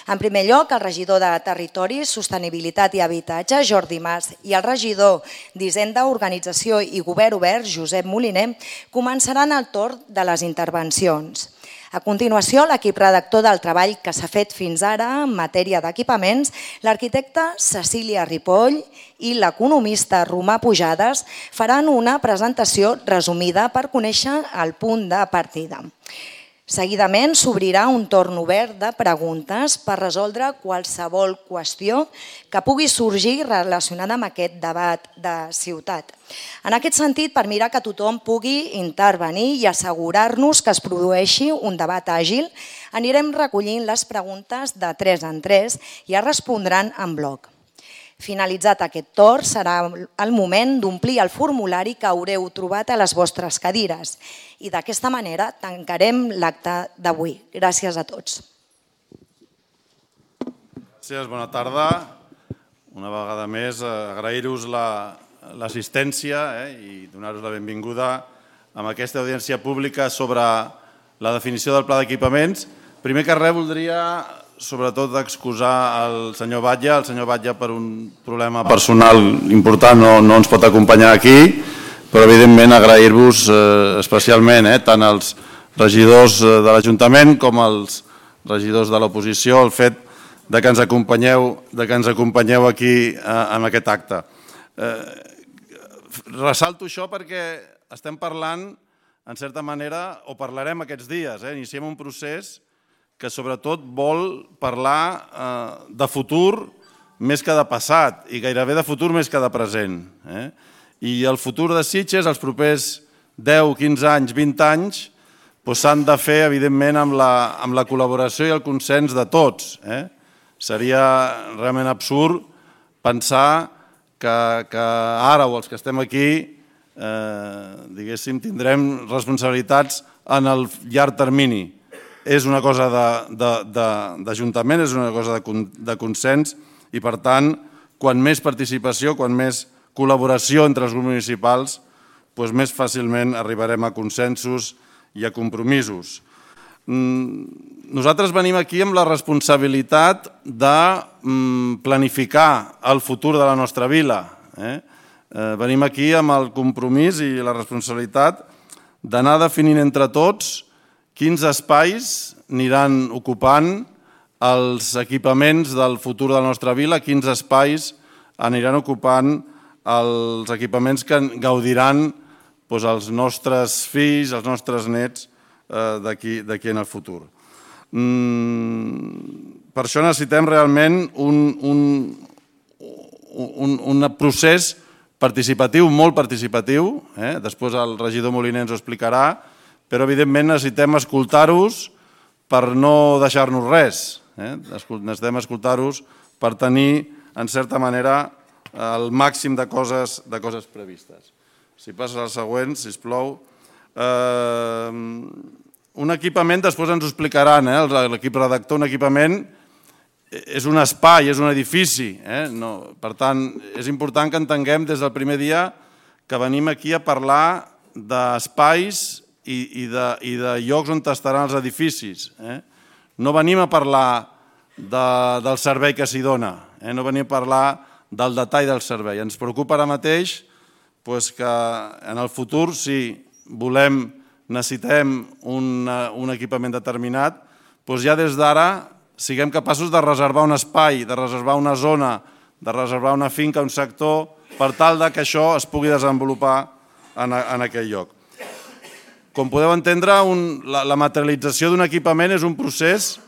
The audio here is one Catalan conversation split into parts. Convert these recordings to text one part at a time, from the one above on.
En primer lloc, el regidor de Territori, Sostenibilitat i Habitatge, Jordi Mas, i el regidor d'Hisenda, Organització i Govern Obert, Josep Moliner, començaran el torn de les intervencions. A continuació, l'equip redactor del treball que s'ha fet fins ara en matèria d'equipaments, l'arquitecta Cecília Ripoll i l'economista Romà Pujades faran una presentació resumida per conèixer el punt de partida. Seguidament s'obrirà un torn obert de preguntes per resoldre qualsevol qüestió que pugui sorgir relacionada amb aquest debat de ciutat. En aquest sentit, per mirar que tothom pugui intervenir i assegurar-nos que es produeixi un debat àgil, anirem recollint les preguntes de 3 en 3 i es respondran en bloc. Finalitzat aquest torn, serà el moment d'omplir el formulari que haureu trobat a les vostres cadires i d'aquesta manera tancarem l'acte d'avui. Gràcies a tots. Gràcies, bona tarda. Una vegada més, agrair-vos l'assistència i donar-vos la benvinguda a aquesta audiència pública sobre la definició del pla d'equipaments. Primer que res, voldria sobretot excusar el senyor Batlle. El senyor Batlle, per un problema personal important, no ens pot acompanyar aquí, però evidentment agrair-vos especialment tant als regidors de l'Ajuntament com als regidors de l'oposició el fet que ens acompanyeu aquí en aquest acte. Ressalto això perquè estem parlant, en certa manera, o parlarem aquests dies, iniciem un procés que sobretot vol parlar de futur més que de passat i gairebé de futur més que de present. I el futur de Sitges, els propers 10, 15 anys, 20 anys, s'han de fer, evidentment, amb la col·laboració i el consens de tots. Seria realment absurd pensar que ara, o els que estem aquí, diguéssim, tindrem responsabilitats en el llarg termini. És una cosa d'Ajuntament, és una cosa de consens i, per tant, quan més participació, quan més col·laboració entre els grups municipals, més fàcilment arribarem a consensos i a compromisos. Nosaltres venim aquí amb la responsabilitat de planificar el futur de la nostra vila. Venim aquí amb el compromís i la responsabilitat d'anar definint entre tots quins espais aniran ocupant els equipaments del futur de la nostra vila, quins espais aniran ocupant els equipaments que gaudiran els nostres fills, els nostres nets d'aquí en el futur. Per això necessitem realment un procés participatiu, molt participatiu, després el regidor Moliner ens ho explicarà, però evidentment necessitem escoltar-vos per no deixar-nos res. Necessitem escoltar-vos per tenir, en certa manera, el màxim de coses previstes. Si passes al següent, sisplau. Un equipament, després ens ho explicaran, l'equip redactor, un equipament és un espai, és un edifici. Per tant, és important que entenguem des del primer dia que venim aquí a parlar d'espais i de llocs on estaran els edificis. No venim a parlar del servei que s'hi dona, no venim a parlar del detall del servei. Ens preocupa ara mateix que en el futur, si necessitem un equipament determinat, ja des d'ara siguem capaços de reservar un espai, de reservar una zona, de reservar una finca, un sector, per tal que això es pugui desenvolupar en aquell lloc. Com podeu entendre, la materialització d'un equipament és un procés,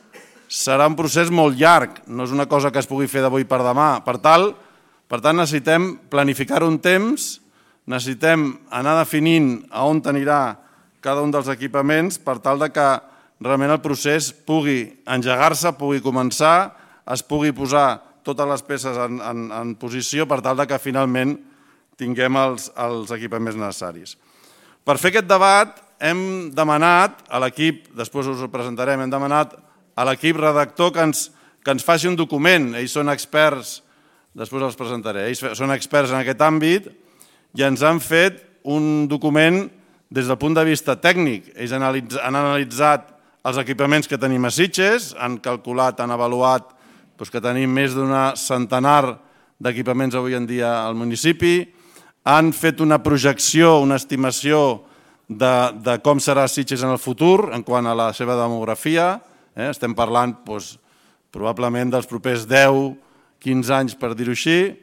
serà un procés molt llarg, no és una cosa que es pugui fer d'avui per demà. Per tant, necessitem planificar un temps, necessitem anar definint a on anirà cada un dels equipaments per tal que realment el procés pugui engegar-se, pugui començar, es pugui posar totes les peces en posició per tal que finalment tinguem els equipaments necessaris. Per fer aquest debat hem demanat a l'equip, després us ho presentarem, hem demanat a l'equip redactor que ens faci un document. Ells són experts, després els presentaré, ells són experts en aquest àmbit i ens han fet un document des del punt de vista tècnic. Ells han analitzat els equipaments que tenim a Sitges, han calculat, han avaluat que tenim més d'una centenar d'equipaments avui en dia al municipi, han fet una projecció, una estimació de com serà Sitges en el futur en quant a la seva demografia. Estem parlant probablement dels propers 10-15 anys, per dir-ho així.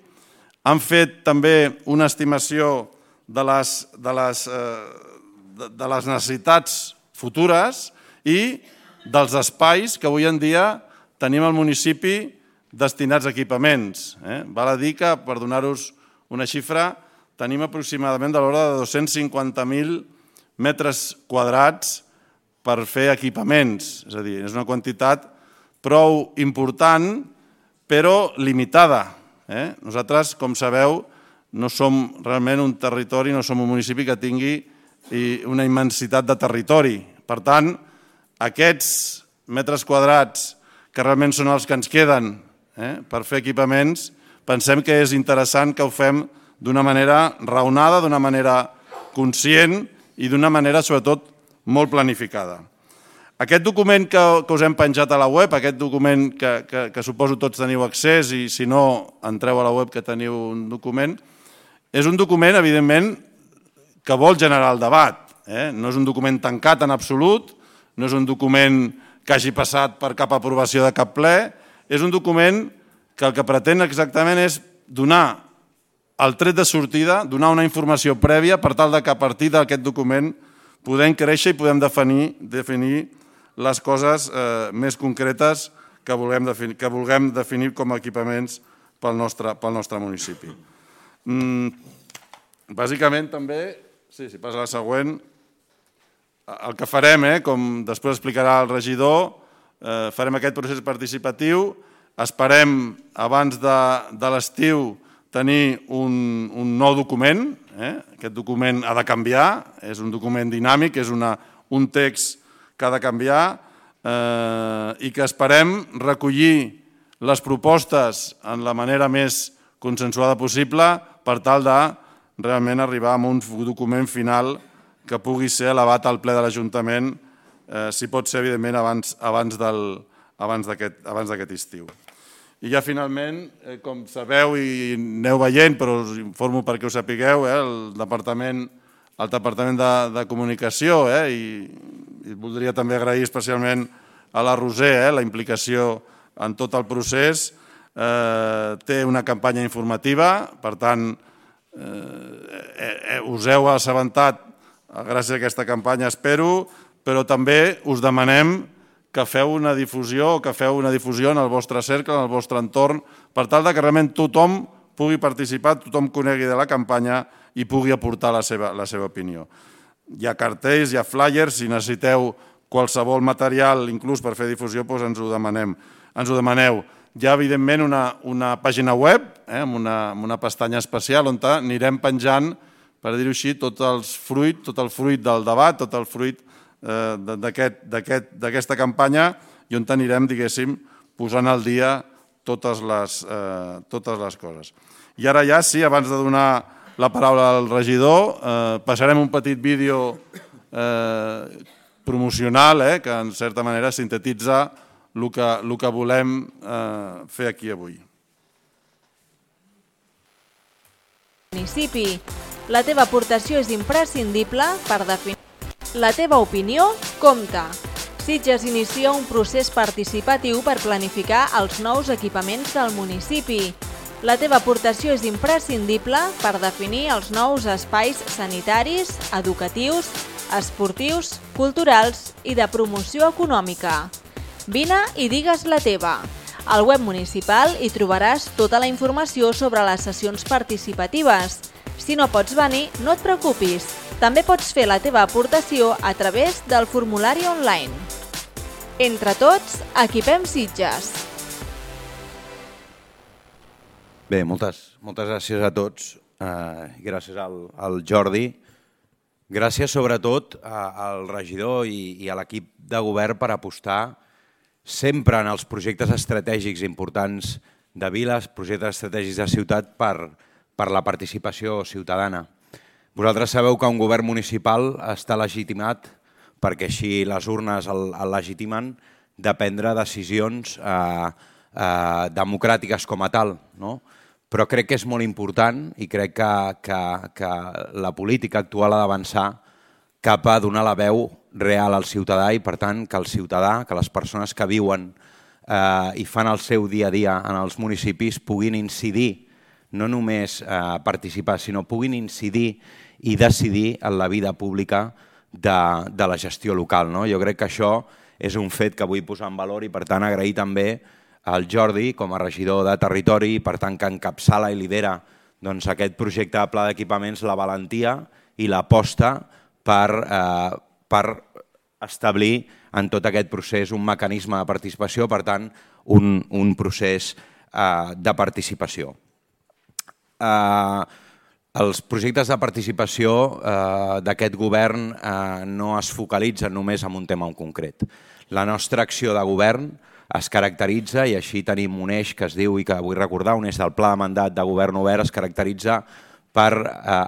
Han fet també una estimació de les necessitats futures i dels espais que avui en dia tenim al municipi destinats a equipaments. Val a dir que, per donar-vos una xifra, tenim aproximadament de l'ordre de 250.000 metres quadrats per fer equipaments. És a dir, és una quantitat prou important, però limitada. Nosaltres, com sabeu, no som realment un territori, no som un municipi que tingui una immensitat de territori. Per tant, aquests metres quadrats, que realment són els que ens queden per fer equipaments, pensem que és interessant que ho fem d'una manera raonada, d'una manera conscient i d'una manera, sobretot, molt planificada. Aquest document que us hem penjat a la web, aquest document que suposo tots teniu accés i si no entreu a la web que teniu un document, és un document, evidentment, que vol generar el debat. No és un document tancat en absolut, no és un document que hagi passat per cap aprovació de cap ple, és un document que el que pretén exactament és donar el tret de sortida, donar una informació prèvia per tal que a partir d'aquest document podem créixer i podem definir les coses més concretes que vulguem definir com a equipaments pel nostre municipi. Bàsicament també, si passa la següent, el que farem, com després explicarà el regidor, farem aquest procés participatiu, esperem abans de l'estiu tenir un nou document, aquest document ha de canviar, és un document dinàmic, és un text que ha de canviar i que esperem recollir les propostes en la manera més consensuada possible per tal de realment arribar a un document final que pugui ser elevat al ple de l'Ajuntament, si pot ser, evidentment, abans d'aquest estiu. I ja finalment, com sabeu i aneu veient, però us informo perquè ho sapigueu, el Departament de Comunicació, i voldria també agrair especialment a la Roser la implicació en tot el procés, té una campanya informativa, per tant, us heu assabentat gràcies a aquesta campanya, espero, però també us demanem que feu una difusió en el vostre cercle, en el vostre entorn, per tal que realment tothom pugui participar, tothom conegui de la campanya i pugui aportar la seva opinió. Hi ha cartells, hi ha flyers, si necessiteu qualsevol material, inclús per fer difusió, ens ho demaneu. Hi ha, evidentment, una pàgina web amb una pestanya especial on anirem penjant, per dir-ho així, tot el fruit del debat, tot el fruit d'aquesta campanya i on anirem, diguéssim, posant al dia totes les coses. I ara ja, sí, abans de donar la paraula al regidor, passarem un petit vídeo promocional que, en certa manera, sintetitza el que volem fer aquí avui. Municipi. La teva aportació és imprescindible per definir. La teva opinió compta. Sitges inicia un procés participatiu per planificar els nous equipaments del municipi. La teva aportació és imprescindible per definir els nous espais sanitaris, educatius, esportius, culturals i de promoció econòmica. Vine i digues la teva. Al web municipal hi trobaràs tota la informació sobre les sessions participatives. Si no pots venir, no et preocupis. També pots fer la teva aportació a través del formulari online. Entre tots, equipem Sitges. Bé, moltes gràcies a tots. Gràcies al Jordi. Gràcies sobretot al regidor i a l'equip de govern per apostar sempre en els projectes estratègics importants de viles, projectes estratègics de ciutat per la participació ciutadana. Vosaltres sabeu que un govern municipal està legitimat perquè així les urnes el legitimen de prendre decisions democràtiques com a tal, no? Però crec que és molt important i crec que la política actual ha d'avançar cap a donar la veu real al ciutadà i, per tant, que el ciutadà, que les persones que viuen i fan el seu dia a dia en els municipis puguin incidir, no només participar, sinó puguin incidir i decidir en la vida pública de la gestió local. Jo crec que això és un fet que vull posar en valor i, per tant, agrair també al Jordi com a regidor de territori i, per tant, que encapçala i lidera aquest projecte de pla d'equipaments, la valentia i l'aposta per establir en tot aquest procés un mecanisme de participació, per tant, un procés de participació. Els projectes de participació d'aquest govern no es focalitzen només en un tema en concret. La nostra acció de govern es caracteritza, i així tenim un eix que es diu, i que vull recordar, un eix del pla de mandat de govern obert, es caracteritza per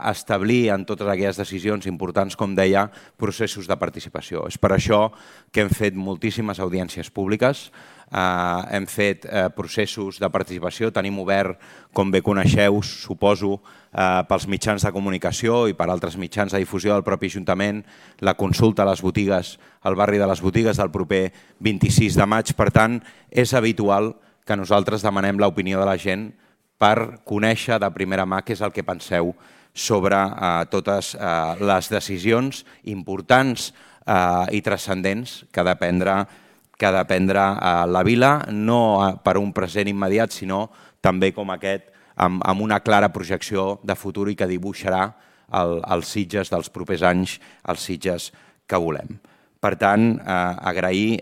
establir en totes aquelles decisions importants, com deia, processos de participació. És per això que hem fet moltíssimes audiències públiques, hem fet processos de participació, tenim obert, com bé coneixeu, suposo, pels mitjans de comunicació i per altres mitjans de difusió del propi Ajuntament, la consulta a les botigues, al barri de les botigues del proper 26 de maig. Per tant, és habitual que nosaltres demanem l'opinió de la gent per conèixer de primera mà què és el que penseu sobre totes les decisions importants i transcendents que ha de prendre la vila, no per un present immediat, sinó també com aquest, amb una clara projecció de futur i que dibuixarà els Sitges dels propers anys, els Sitges que volem. Per tant, agrair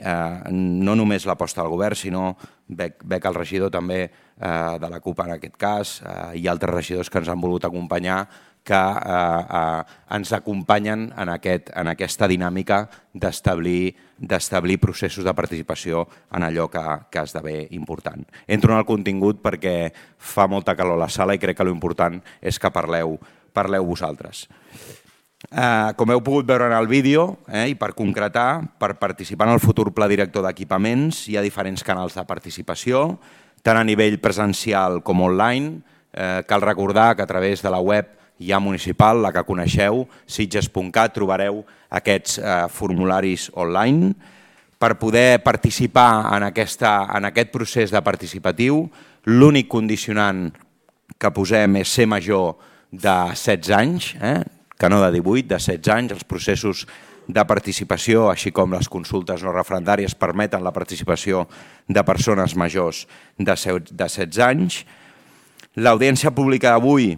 no només l'aposta del govern, sinó veig el regidor també de la CUP en aquest cas i altres regidors que ens han volgut acompanyar, que ens acompanyen en aquesta dinàmica d'establir processos de participació en allò que esdevé important. Entro en el contingut perquè fa molta calor a la sala i crec que l'important és que parleu vosaltres. Com heu pogut veure en el vídeo, i per concretar, per participar en el futur pla director d'equipaments hi ha diferents canals de participació, tant a nivell presencial com online. Cal recordar que a través de la web ja municipal, la que coneixeu, sitges.cat, trobareu aquests formularis online. Per poder participar en aquest procés de participatiu, l'únic condicionant que posem és ser major de 16 anys, que no de 18, de 16 anys. Els processos de participació, així com les consultes no referendàries, permeten la participació de persones majors de 16 anys. L'audiència pública d'avui,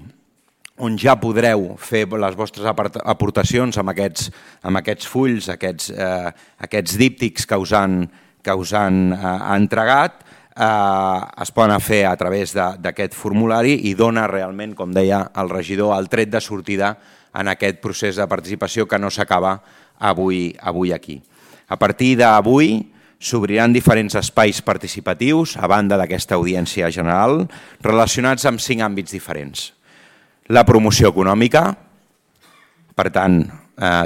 on ja podreu fer les vostres aportacions amb aquests fulls, aquests díptics que us han entregat, es poden fer a través d'aquest formulari i dona realment, com deia el regidor, el tret de sortida en aquest procés de participació que no s'acaba avui aquí. A partir d'avui s'obriran diferents espais participatius, a banda d'aquesta audiència general, relacionats amb 5 àmbits diferents. La promoció econòmica, per tant,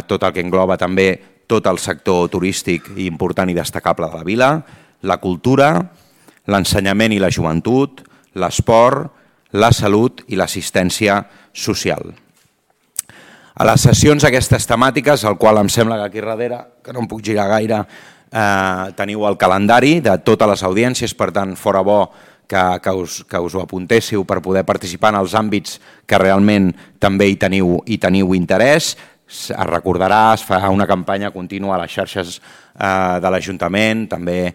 tot el que engloba també tot el sector turístic important i destacable de la vila, la cultura, l'ensenyament i la joventut, l'esport, la salut i l'assistència social. A les sessions aquestes temàtiques, al qual em sembla que aquí darrere, que no em puc girar gaire, teniu el calendari de totes les audiències, per tant, fora bo que us ho apuntéssiu per poder participar en els àmbits que realment també hi teniu interès. Es recordarà, es farà una campanya contínua a les xarxes de l'Ajuntament, també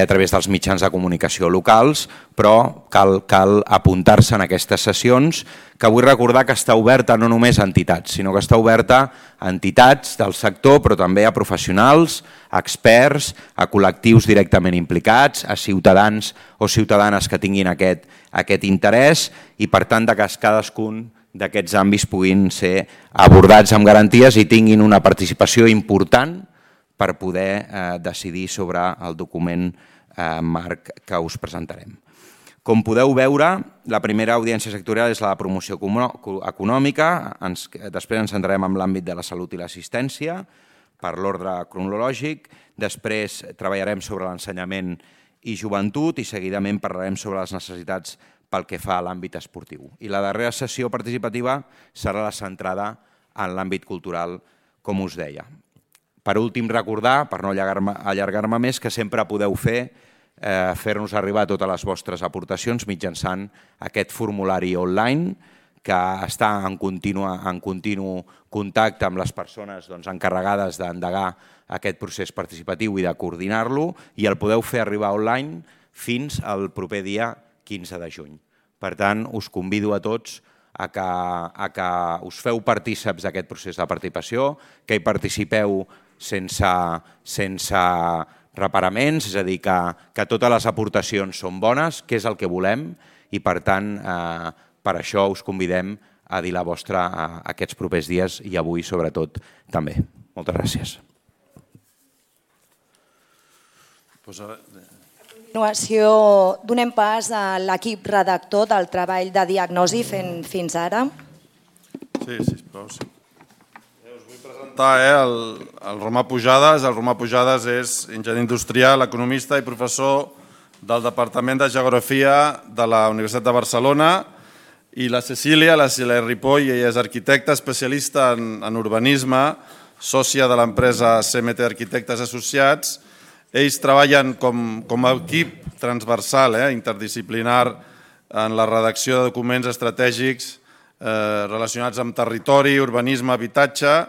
a través dels mitjans de comunicació locals, però cal apuntar-se en aquestes sessions, que vull recordar que està oberta no només a entitats, sinó que està oberta a entitats del sector, però també a professionals, a experts, a col·lectius directament implicats, a ciutadans o ciutadanes que tinguin aquest interès i, per tant, que cadascun d'aquests àmbits puguin ser abordats amb garanties i tinguin una participació important per poder decidir sobre el document marc que us presentarem. Com podeu veure, la primera audiència sectorial és la de promoció econòmica, després ens centrarem en l'àmbit de la salut i l'assistència, per l'ordre cronològic, després treballarem sobre l'ensenyament i joventut i seguidament parlarem sobre les necessitats pel que fa a l'àmbit esportiu. I la darrera sessió participativa serà la centrada en l'àmbit cultural, com us deia. Per últim, recordar, per no allargar-me més, que sempre podeu fer-nos arribar totes les vostres aportacions mitjançant aquest formulari online que està en continu contacte amb les persones encarregades d'endegar aquest procés participatiu i de coordinar-lo, i el podeu fer arribar online fins al proper dia 15 de juny. Per tant, us convido a tots a que us feu partíceps d'aquest procés de participació, que hi participeu sense reparaments, és a dir, que totes les aportacions són bones, que és el que volem, i per tant, per això us convidem a dir la vostra aquests propers dies i avui sobretot també. Moltes gràcies. A continuació, donem pas a l'equip redactor del treball de diagnosi fins ara. Sí, sisplau. Us vull presentar el Romà Pujades. El Romà Pujades és enginyer industrial, economista i professor del Departament de Geografia de la Universitat de Barcelona, i la Cecília Ripoll, ella és arquitecta, especialista en urbanisme, sòcia de l'empresa CMT Arquitectes Associats. Ells treballen com a equip transversal, interdisciplinar, en la redacció de documents estratègics relacionats amb territori, urbanisme, habitatge,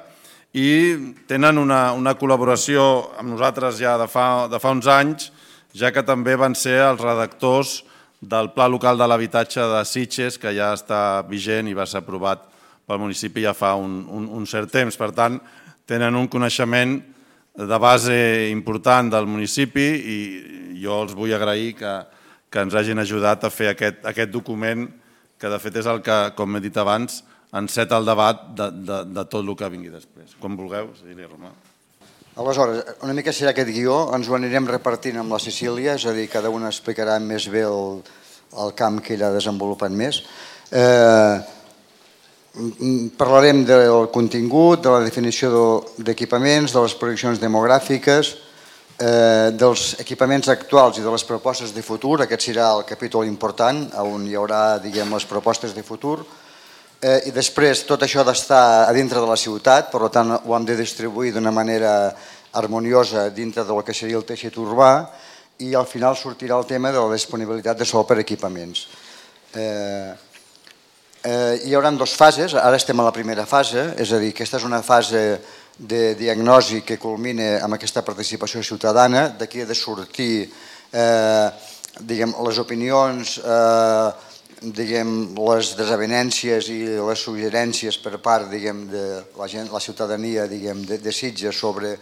i tenen una col·laboració amb nosaltres ja de fa uns anys, ja que també van ser els redactors del Pla Local de l'Habitatge de Sitges, que ja està vigent i va ser aprovat pel municipi ja fa un cert temps. Per tant, tenen un coneixement de base important del municipi i jo els vull agrair que ens hagin ajudat a fer aquest document, que de fet és el que, com he dit abans, enceta el debat de tot el que vingui després. Com vulgueu, Cecília, Romà. Aleshores, una mica serà aquest guió, ens ho anirem repartint amb la Cecília, és a dir, cada una explicarà més bé el camp que ella ha desenvolupat més. Parlarem del contingut, de la definició d'equipaments, de les projeccions demogràfiques, dels equipaments actuals i de les propostes de futur. Aquest serà el capítol important, on hi haurà les propostes de futur. I després tot això ha d'estar a dintre de la ciutat, per tant ho hem de distribuir d'una manera harmoniosa dintre del que seria el teixit urbà, i al final sortirà el tema de la disponibilitat de sòl per equipaments. Hi haurà dues fases, ara estem a la primera fase, és a dir, aquesta és una fase de diagnosi que culmina amb aquesta participació ciutadana. D'aquí ha de sortir les opinions, les desavenències i les suggerències per part de la ciutadania de Sitges sobre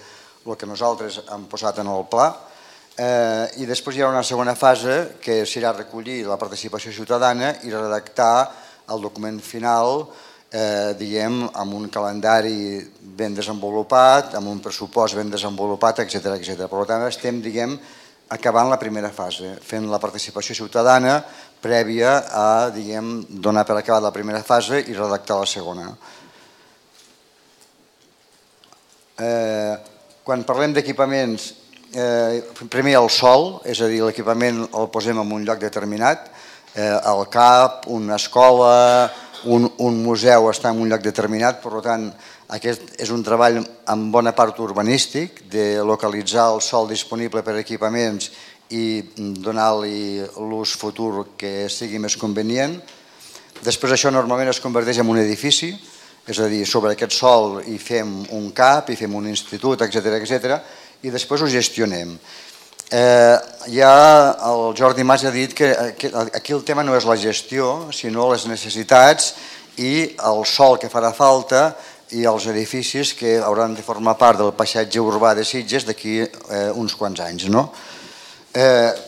el que nosaltres hem posat en el pla. I després hi haurà una segona fase que serà recollir la participació ciutadana i redactar el document final amb un calendari ben desenvolupat, amb un pressupost ben desenvolupat, etc. Per tant, estem acabant la primera fase, fent la participació ciutadana prèvia a donar per acabat la primera fase i redactar la segona. Quan parlem d'equipaments, primer el sòl, és a dir, l'equipament el posem en un lloc determinat, el CAP, una escola, un museu està en un lloc determinat, per tant, aquest és un treball en bona part urbanístic, de localitzar el sòl disponible per equipaments i donar-li l'ús futur que sigui més convenient. Després això normalment es converteix en un edifici, és a dir, sobre aquest sòl hi fem un CAP, hi fem un institut, etc. i després ho gestionem. Ja el Jordi Mas ha dit que aquí el tema no és la gestió, sinó les necessitats i el sòl que farà falta i els edificis que hauran de formar part del paisatge urbà de Sitges d'aquí uns quants anys.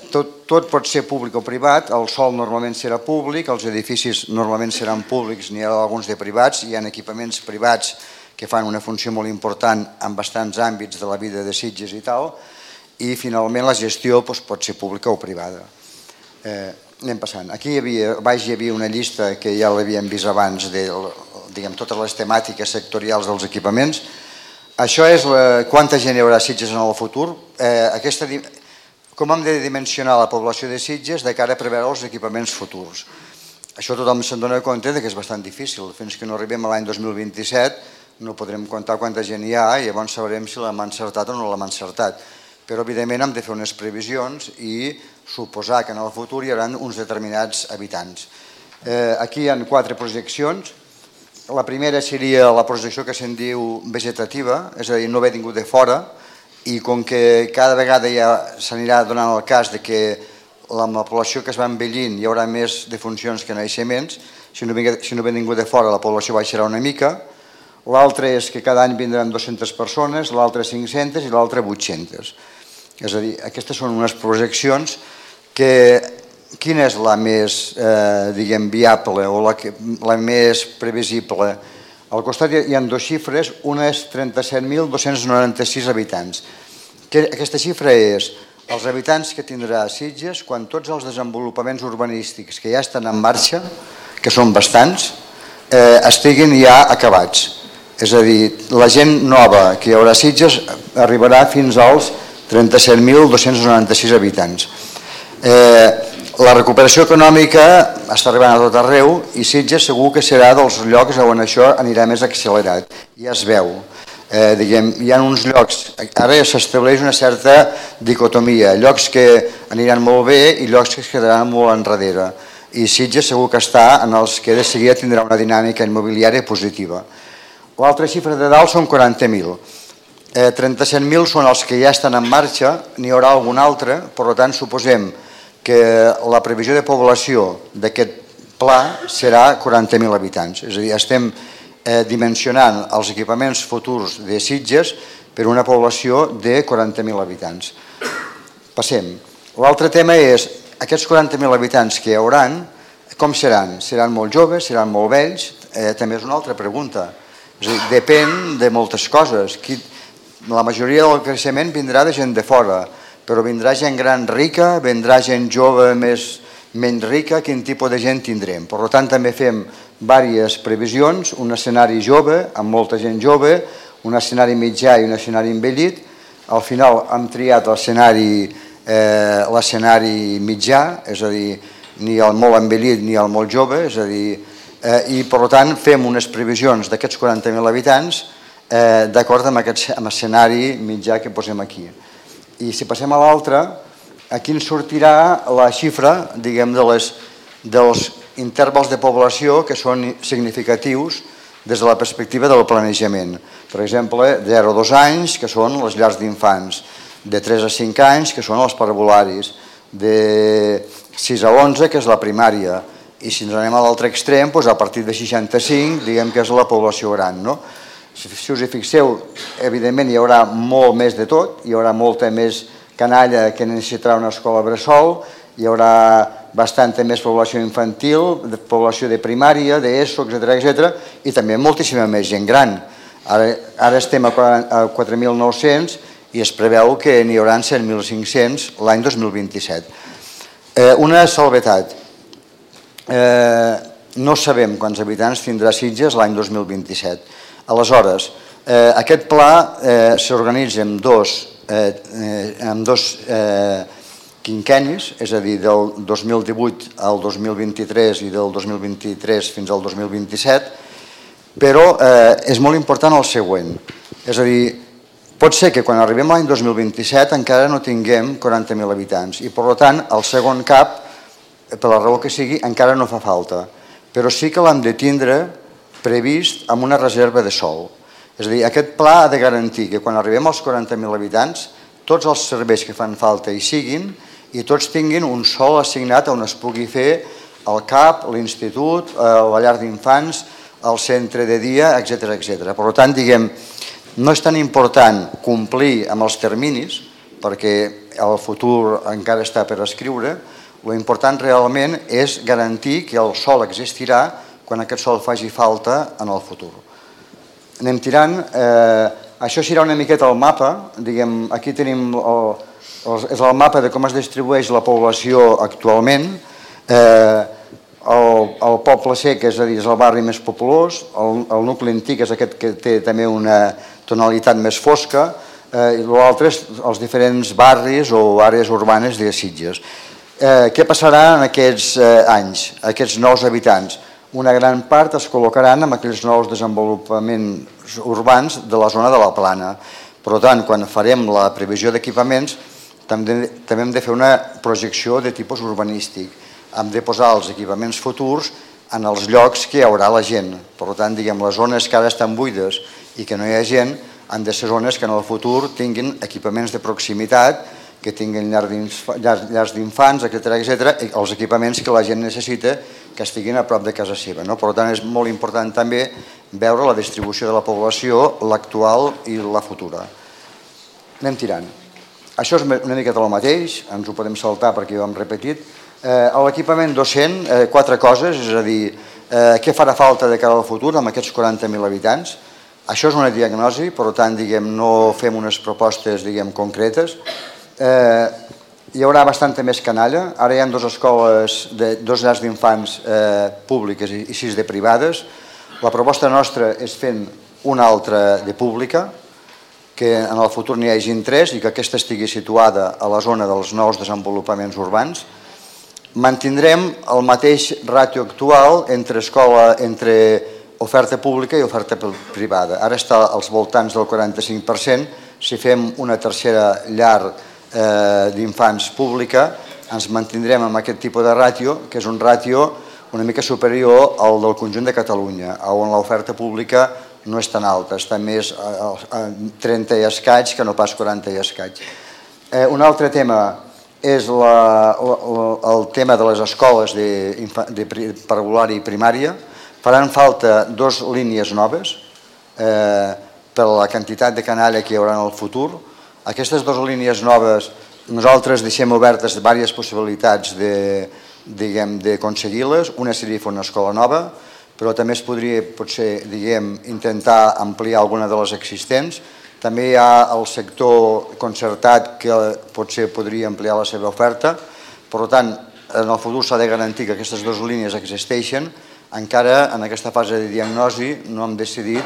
Tot pot ser públic o privat, el sòl normalment serà públic, els edificis normalment seran públics, n'hi ha alguns de privats, hi ha equipaments privats que fan una funció molt important en bastants àmbits de la vida de Sitges i tal, i finalment la gestió pot ser pública o privada. Anem passant. Aquí baix hi havia una llista que ja l'havíem vist abans de totes les temàtiques sectorials dels equipaments. Això és quanta gent hi haurà a Sitges en el futur. Com hem de dimensionar la població de Sitges de cara a preveure els equipaments futurs. Això tothom se'n dona compte que és bastant difícil. Fins que no arribem a l'any 2027 no podrem comptar quanta gent hi ha i llavors sabrem si l'hem encertat o no l'hem encertat. Però evidentment hem de fer unes previsions i suposar que en el futur hi haurà uns determinats habitants. Aquí hi ha 4 projeccions. La primera seria la projecció que se'n diu vegetativa, és a dir, no ve ningú de fora, i com que cada vegada ja s'anirà donant el cas de que amb la població que es va envellint hi haurà més defuncions que naixements, si no ve ningú de fora la població baixarà una mica. L'altre és que cada any vindran 200 persones, l'altre 500 i l'altre 800. És a dir, aquestes són unes projeccions que... Quina és la més viable o la més previsible? Al costat hi ha 2 xifres, una és 37.296 habitants. Aquesta xifra és els habitants que tindrà Sitges quan tots els desenvolupaments urbanístics que ja estan en marxa, que són bastants, estiguin ja acabats. És a dir, la gent nova que hi haurà a Sitges arribarà fins als 37.296 habitants. La recuperació econòmica està arribant a tot arreu i Sitges segur que serà dels llocs on això anirà més accelerat. Ja es veu. Hi ha uns llocs, ara s'estableix una certa dicotomia, llocs que aniran molt bé i llocs que es quedaran molt enrere. I Sitges segur que està en els que de seguida tindrà una dinàmica immobiliària positiva. L'altra xifra de dalt són 40.000. 37.000 són els que ja estan en marxa, n'hi haurà algun altre, per tant suposem que la previsió de població d'aquest pla serà 40.000 habitants. És a dir, estem dimensionant els equipaments futurs de Sitges per una població de 40.000 habitants. Passem. L'altre tema és, aquests 40.000 habitants que hi haurà, com seran? Seran molt joves, seran molt vells? També és una altra pregunta. És a dir, depèn de moltes coses. La majoria del creixement vindrà de gent de fora, però vindrà gent gran rica, vindrà gent jove menys rica, quin tipus de gent tindrem. Per tant, també fem diverses previsions, un escenari jove, amb molta gent jove, un escenari mitjà i un escenari envellit. Al final hem triat l'escenari mitjà, és a dir, ni el molt envellit ni el molt jove, és a dir, i per tant fem unes previsions d'aquests 40.000 habitants d'acord amb aquest escenari mitjà que posem aquí. I si passem a l'altre, aquí ens sortirà la xifra, diguem, dels intervals de població que són significatius des de la perspectiva del planejament. Per exemple, de 0 a 2 anys, que són les llars d'infants, de 3 a 5 anys, que són els parvularis, de 6 a 11, que és la primària, i si ens anem a l'altre extrem, a partir de 65, diguem que és la població gran, no? Si us hi fixeu, evidentment hi haurà molt més de tot, hi haurà molta més canalla que necessitarà una escola bressol, hi haurà bastanta més població infantil, població de primària, d'ESO, etc. I també moltíssima més gent gran. Ara estem a 4.900 i es preveu que n'hi haurà 7.500 l'any 2027. Una salvetat. No sabem quants habitants tindrà Sitges l'any 2027. Aleshores, aquest pla s'organitza en dos quinquennis, és a dir, del 2018 al 2023 i del 2023 fins al 2027, però és molt important el següent. És a dir, pot ser que quan arribem a l'any 2027 encara no tinguem 40.000 habitants i, per tant, el segon CAP, per la raó que sigui, encara no fa falta, però sí que l'hem de tindre previst amb una reserva de sòl. És a dir, aquest pla ha de garantir que quan arribem als 40.000 habitants tots els serveis que fan falta hi siguin i tots tinguin un sòl assignat on es pugui fer el CAP, l'institut, la llar d'infants, el centre de dia, etc. Per tant, diguem, no és tan important complir amb els terminis, perquè el futur encara està per escriure, l'important realment és garantir que el sòl existirà quan aquest sòl faci falta en el futur. Anem tirant. Això serà una miqueta el mapa. Aquí tenim el mapa de com es distribueix la població actualment. El poble sec, és a dir, és el barri més populós. El nucli antic és aquest que té també una tonalitat més fosca, i l'altre és els diferents barris o àrees urbanes de Sitges. Què passarà en aquests anys, aquests nous habitants? Una gran part es col·locaran en aquells nous desenvolupaments urbans de la zona de la Plana. Per tant, quan farem la previsió d'equipaments, també hem de fer una projecció de tipus urbanístic. Hem de posar els equipaments futurs en els llocs que hi haurà la gent. Per tant, les zones que ara estan buides i que no hi ha gent han de ser zones que en el futur tinguin equipaments de proximitat, que tinguin llars d'infants, etc., i els equipaments que la gent necessita que estiguin a prop de casa seva. Per tant, és molt important també veure la distribució de la població, l'actual i la futura. Anem tirant. Això és una miqueta el mateix, ens ho podem saltar perquè ho hem repetit. L'equipament docent, 4 coses, és a dir, què farà falta de cara al futur amb aquests 40.000 habitants. Això és una diagnosi, per tant, no fem unes propostes concretes. Hi haurà bastanta més canalla. Ara hi ha 2 escoles, 2 llars d'infants públiques i 6 de privades. La proposta nostra és fent una altra de pública, que en el futur n'hi hagi 3 i que aquesta estigui situada a la zona dels nous desenvolupaments urbans. Mantindrem el mateix ràtio actual entre oferta pública i oferta privada. Ara està als voltants del 45%. Si fem una tercera llar d'infants pública, ens mantindrem amb aquest tipus de ràtio, que és un ràtio una mica superior al del conjunt de Catalunya, on l'oferta pública no és tan alta, està més a 30 i escaig que no pas 40 i escaig. Un altre tema és el tema de les escoles de preescolar i primària. Faran falta 2 línies noves per la quantitat de canalla que hi haurà en el futur. Aquestes 2 línies noves nosaltres deixem obertes diverses possibilitats d'aconseguir-les. Una seria fer una escola nova, però també es podria potser intentar ampliar alguna de les existents. També hi ha el sector concertat que potser podria ampliar la seva oferta. Per tant, en el futur s'ha de garantir que aquestes 2 línies existeixen. Encara en aquesta fase de diagnosi no hem decidit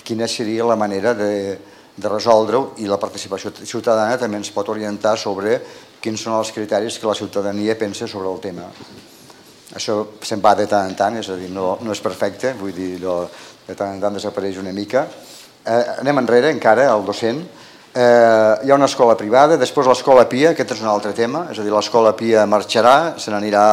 quina seria la manera de resoldre-ho, i la participació ciutadana també ens pot orientar sobre quins són els criteris que la ciutadania pensa sobre el tema. Això se'n va de tant en tant, és a dir, no és perfecte, vull dir, de tant en tant desapareix una mica. Anem enrere encara, al docent. Hi ha una escola privada, després l'escola PIA, aquest és un altre tema, és a dir, l'escola PIA marxarà, se n'anirà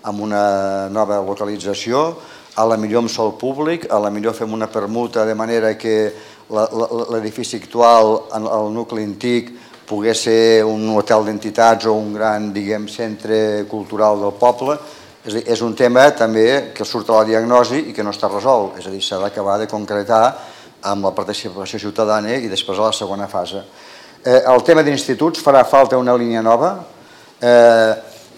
amb una nova localització, a la millor amb sòl públic, a la millor fem una permuta de manera que l'edifici actual, el nucli antic, pogués ser un hotel d'entitats o un gran, centre cultural del poble. És un tema també que surt a la diagnosi i que no està resolt, és a dir, s'ha d'acabar de concretar amb la participació ciutadana i després a la segona fase. El tema d'instituts, farà falta una línia nova.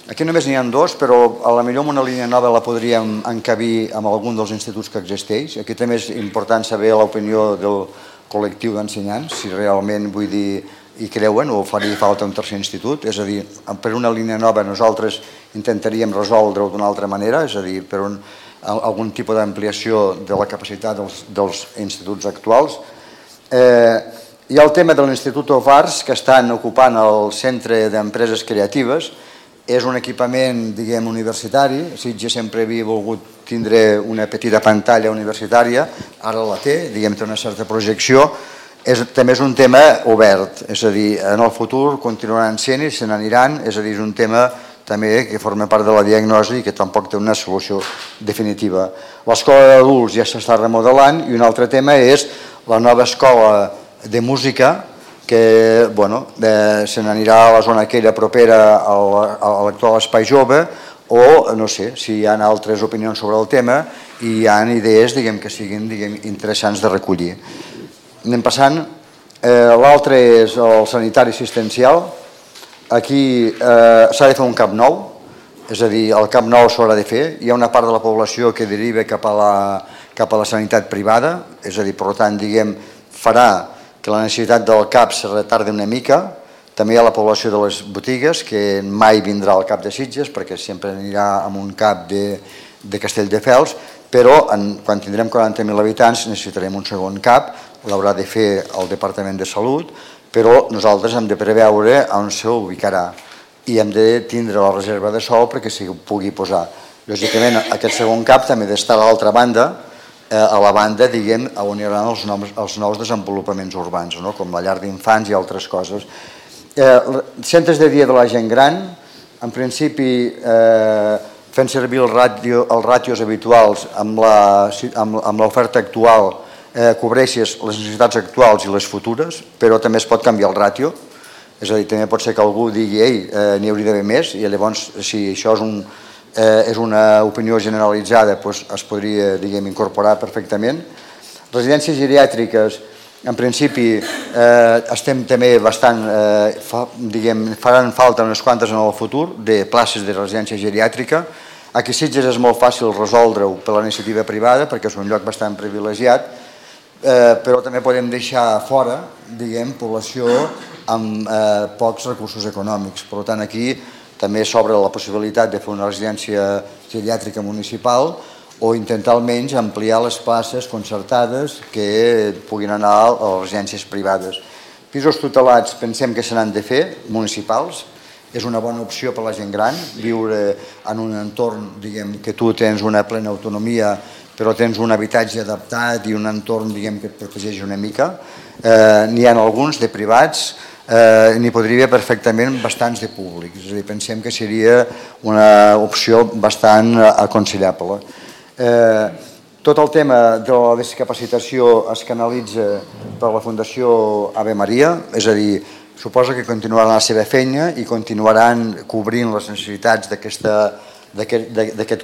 Aquí només n'hi ha 2, però a la millor una línia nova la podríem encabir amb algun dels instituts que existeix. Aquí també és important saber l'opinió del col·lectiu d'ensenyants, si realment, vull dir, hi creuen o faria falta un tercer institut. És a dir, per una línia nova nosaltres intentaríem resoldre-ho d'una altra manera, és a dir, per algun tipus d'ampliació de la capacitat dels instituts actuals. Hi ha el tema de l'Institut of Arts, que estan ocupant el Centre d'Empreses Creatives. És un equipament, universitari. Sitges sempre havia volgut tindre una petita pantalla universitària, ara la té, té una certa projecció. També és un tema obert, és a dir, en el futur continuaran sent i se n'aniran, és a dir, és un tema també que forma part de la diagnosi i que tampoc té una solució definitiva. L'escola d'adults ja s'està remodelant i un altre tema és la nova escola de música, que se n'anirà a la zona aquella propera a l'actual Espai Jove, o no sé si hi ha altres opinions sobre el tema i hi ha idees que siguin interessants de recollir. Anem passant. L'altre és el sanitari assistencial. Aquí s'ha de fer un CAP nou, és a dir, el CAP nou s'haurà de fer. Hi ha una part de la població que deriva cap a la sanitat privada, és a dir, per tant, farà que la necessitat del CAP se retardi una mica. També hi ha la població de les botigues, que mai vindrà al CAP de Sitges, perquè sempre anirà amb un CAP de Castelldefels, però quan tindrem 40.000 habitants necessitarem un segon CAP. l'haurà de fer el Departament de Salut, però nosaltres hem de preveure on s'ubicarà i hem de tindre la reserva de sòl perquè s'hi pugui posar. Lògicament, aquest segon CAP també ha d'estar a l'altra banda, a la banda, diguem, on hi haurà els nous desenvolupaments urbans, com la llar d'infants i altres coses. Centres de dia de la gent gran, en principi, fent servir els ràtios habituals amb l'oferta actual, cobreixes les necessitats actuals i les futures, però també es pot canviar el ràtio, és a dir, també pot ser que algú digui ei, n'hi hauria d'haver més, i llavors, si això és una opinió generalitzada, es podria, diguem, incorporar perfectament. Residències geriàtriques, en principi, estem també bastant, diguem, faran falta unes quantes en el futur de places de residència geriàtrica. Aquí a Sitges és molt fàcil resoldre-ho per la iniciativa privada perquè és un lloc bastant privilegiat, però també podem deixar fora, diguem, població amb pocs recursos econòmics. Per tant, aquí també s'obre la possibilitat de fer una residència geriàtrica municipal o intentar almenys ampliar les places concertades que puguin anar a les residències privades. Pisos tutelats pensem que se n'han de fer, municipals. És una bona opció per a la gent gran, viure en un entorn, diguem, que tu tens una plena autonomia, però tens un habitatge adaptat i un entorn, diguem, que et protegeix una mica. N'hi ha alguns de privats, n'hi podria haver perfectament bastants de públics. És a dir, pensem que seria una opció bastant aconsellable. Tot el tema de la discapacitació es canalitza per la Fundació Ave Maria, és a dir, suposa que continuaran la seva feina i continuaran cobrint les necessitats d'aquest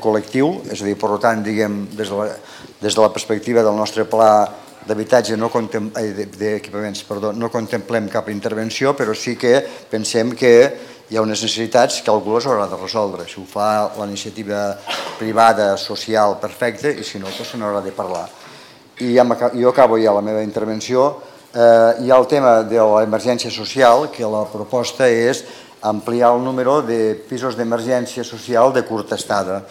col·lectiu, és a dir, per tant, diguem, des de la perspectiva del nostre pla d'habitatge d'equipaments, no contemplem cap intervenció, però sí que pensem que hi ha unes necessitats que algú les haurà de resoldre. Si ho fa la iniciativa privada, social, perfecte, i si no, se n'haurà de parlar. I jo acabo ja la meva intervenció. Hi ha el tema de l'emergència social, que la proposta és ampliar el número de pisos d'emergència social de curta estada.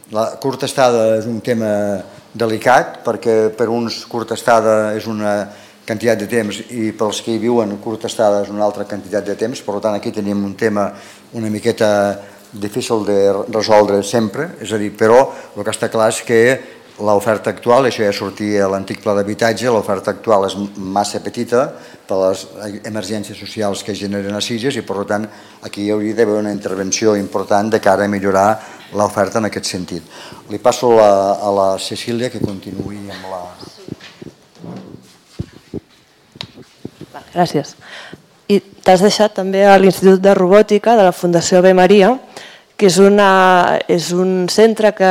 La curta estada és un tema delicat, perquè per uns curta estada és una quantitat de temps i pels que hi viuen curta estada és una altra quantitat de temps, per tant aquí tenim un tema una miqueta difícil de resoldre sempre, és a dir, però el que està clar és que l'oferta actual, això ja sortia a l'antic pla d'habitatge, l'oferta actual és massa petita per les emergències socials que generen a Sitges i per tant aquí hi hauria d'haver una intervenció important de cara a millorar l'oferta en aquest sentit. Li passo a la Cecília que continuï amb la... Gràcies. I t'has deixat també a l'Institut de Robòtica de la Fundació Ave Maria, que és un centre que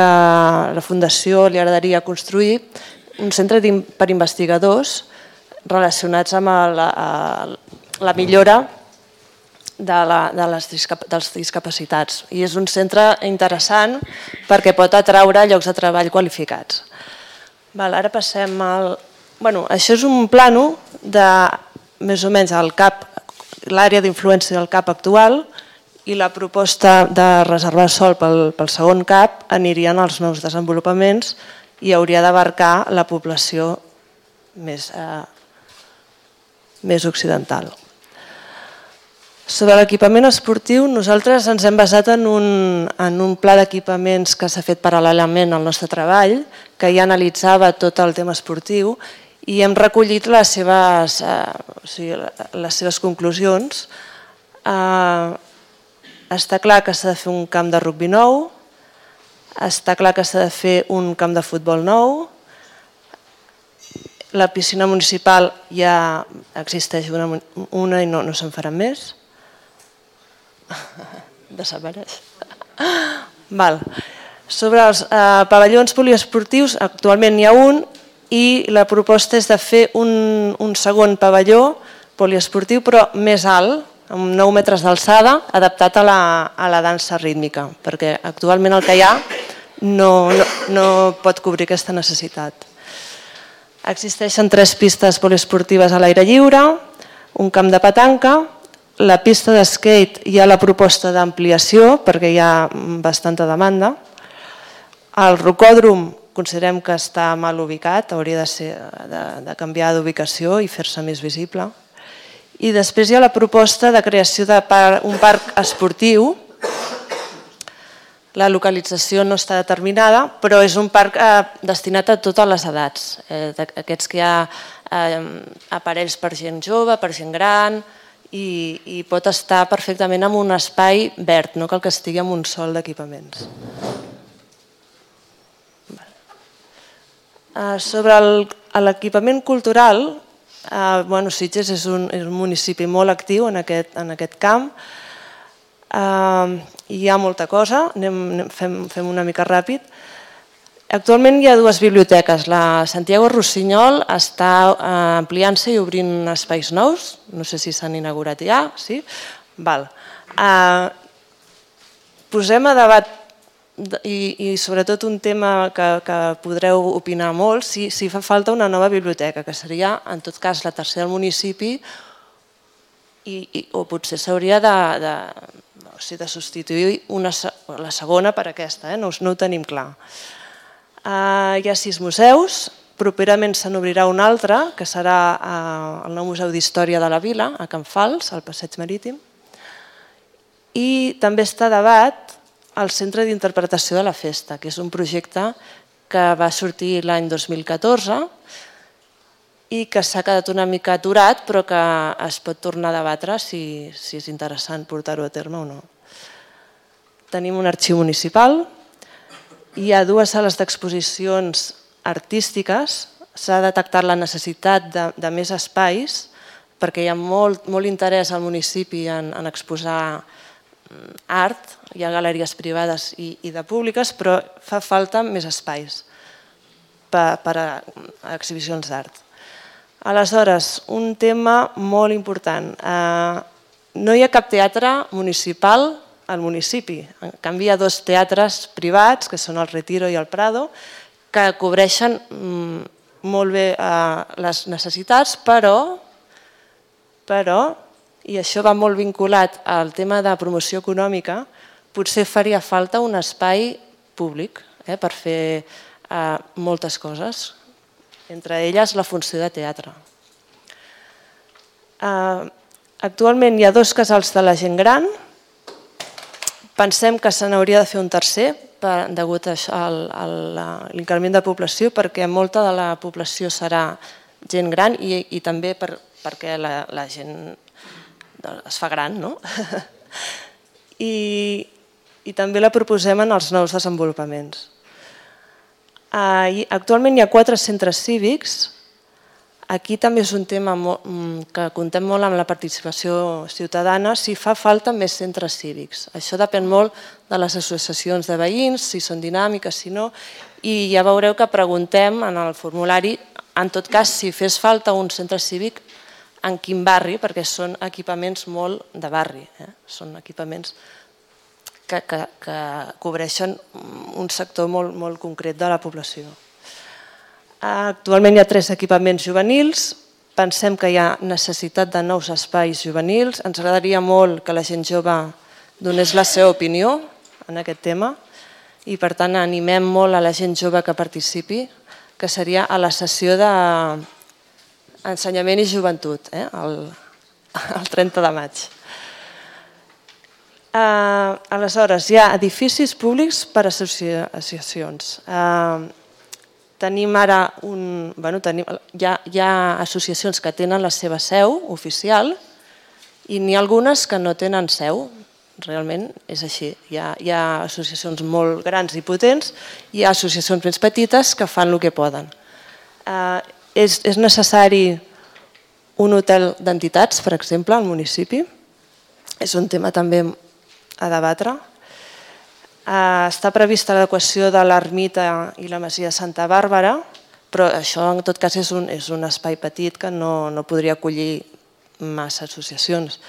la Fundació li agradaria construir, un centre per investigadors relacionats amb la millora dels discapacitats. I és un centre interessant perquè pot atraure llocs de treball qualificats. Ara passem al... Això és un plano de més o menys l'àrea d'influència del CAP actual i la proposta de reservar sòl pel segon CAP anirien als nous desenvolupaments i hauria d'abarcar la població més occidental. Sobre l'equipament esportiu, nosaltres ens hem basat en un pla d'equipaments que s'ha fet paral·lelament al nostre treball, que ja analitzava tot el tema esportiu i hem recollit les seves conclusions. Està clar que s'ha de fer un camp de rugbi nou, està clar que s'ha de fer un camp de futbol nou, la piscina municipal ja existeix una i no se'n farà més. Desapareix. Sobre els pavellons poliesportius, actualment n'hi ha un i la proposta és de fer un segon pavelló poliesportiu però més alt, amb 9 metres d'alçada, adaptat a la dansa rítmica, perquè actualment el que hi ha no pot cobrir aquesta necessitat. Existeixen 3 pistes poliesportives a l'aire lliure, un camp de petanca, la pista d'skate hi ha la proposta d'ampliació perquè hi ha bastanta demanda, el rocòdrom considerem que està mal ubicat, hauria de canviar d'ubicació i fer-se més visible. I després hi ha la proposta de creació d'un parc esportiu. La localització no està determinada, però és un parc destinat a totes les edats. Aquests que hi ha aparells per gent jove, per gent gran, i pot estar perfectament en un espai verd, no cal que estigui en un sol d'equipaments. Sobre l'equipament cultural, Sitges és un municipi molt actiu en aquest camp. Hi ha molta cosa, fem una mica ràpid. Actualment hi ha dues biblioteques. La Santiago Rossinyol està ampliant-se i obrint espais nous. No sé si s'han inaugurat ja, sí? Posem a debat i sobretot un tema que podreu opinar molt, si fa falta una nova biblioteca, que seria en tot cas la tercera del municipi, o potser s'hauria de substituir la segona per aquesta, no ho tenim clar. Hi ha 6 museus, properament se n'obrirà un altre, que serà el nou Museu d'Història de la Vila, a Can Fals, al Passeig Marítim, i també està a debat el Centre d'Interpretació de la Festa, que és un projecte que va sortir l'any 2014 i que s'ha quedat una mica aturat, però que es pot tornar a debatre si és interessant portar-ho a terme o no. Tenim un arxiu municipal, hi ha 2 sales d'exposicions artístiques, s'ha detectat la necessitat de més espais, perquè hi ha molt interès al municipi en exposar art, hi ha galeries privades i de públiques, però fa falta més espais per a exhibicions d'art. Aleshores, un tema molt important. No hi ha cap teatre municipal al municipi. En canvi, hi ha 2 teatres privats, que són el Retiro i el Prado, que cobreixen molt bé les necessitats, però i això va molt vinculat al tema de promoció econòmica, potser faria falta un espai públic per fer moltes coses, entre elles la funció de teatre. Actualment hi ha 2 casals de la gent gran, pensem que se n'hauria de fer un tercer degut a l'increment de població, perquè molta de la població serà gent gran i també perquè la gent es fa gran, no? I també la proposem en els nous desenvolupaments. Actualment hi ha 4 centres cívics. Aquí també és un tema que contem molt amb la participació ciutadana, si fa falta més centres cívics. Això depèn molt de les associacions de veïns, si són dinàmiques, si no, i ja veureu que preguntem en el formulari, en tot cas, si fes falta un centre cívic, en quin barri, perquè són equipaments molt de barri, són equipaments que cobreixen un sector molt concret de la població. Actualment hi ha 3 equipaments juvenils, pensem que hi ha necessitat de nous espais juvenils, ens agradaria molt que la gent jove donés la seva opinió en aquest tema i per tant animem molt a la gent jove que participi, que seria a la sessió d'Ensenyament i Joventut, el 30 de maig. Aleshores, hi ha edificis públics per a associacions. Tenim ara hi ha associacions que tenen la seva seu oficial i n'hi ha algunes que no tenen seu. Realment és així. Hi ha associacions molt grans i potents i hi ha associacions més petites que fan el que poden. És necessari un hotel d'entitats, per exemple, al municipi. És un tema també a debatre. Està prevista l'adequació de l'ermita i la masia de Santa Bàrbara, però això en tot cas és un espai petit que no podria acollir massa associacions.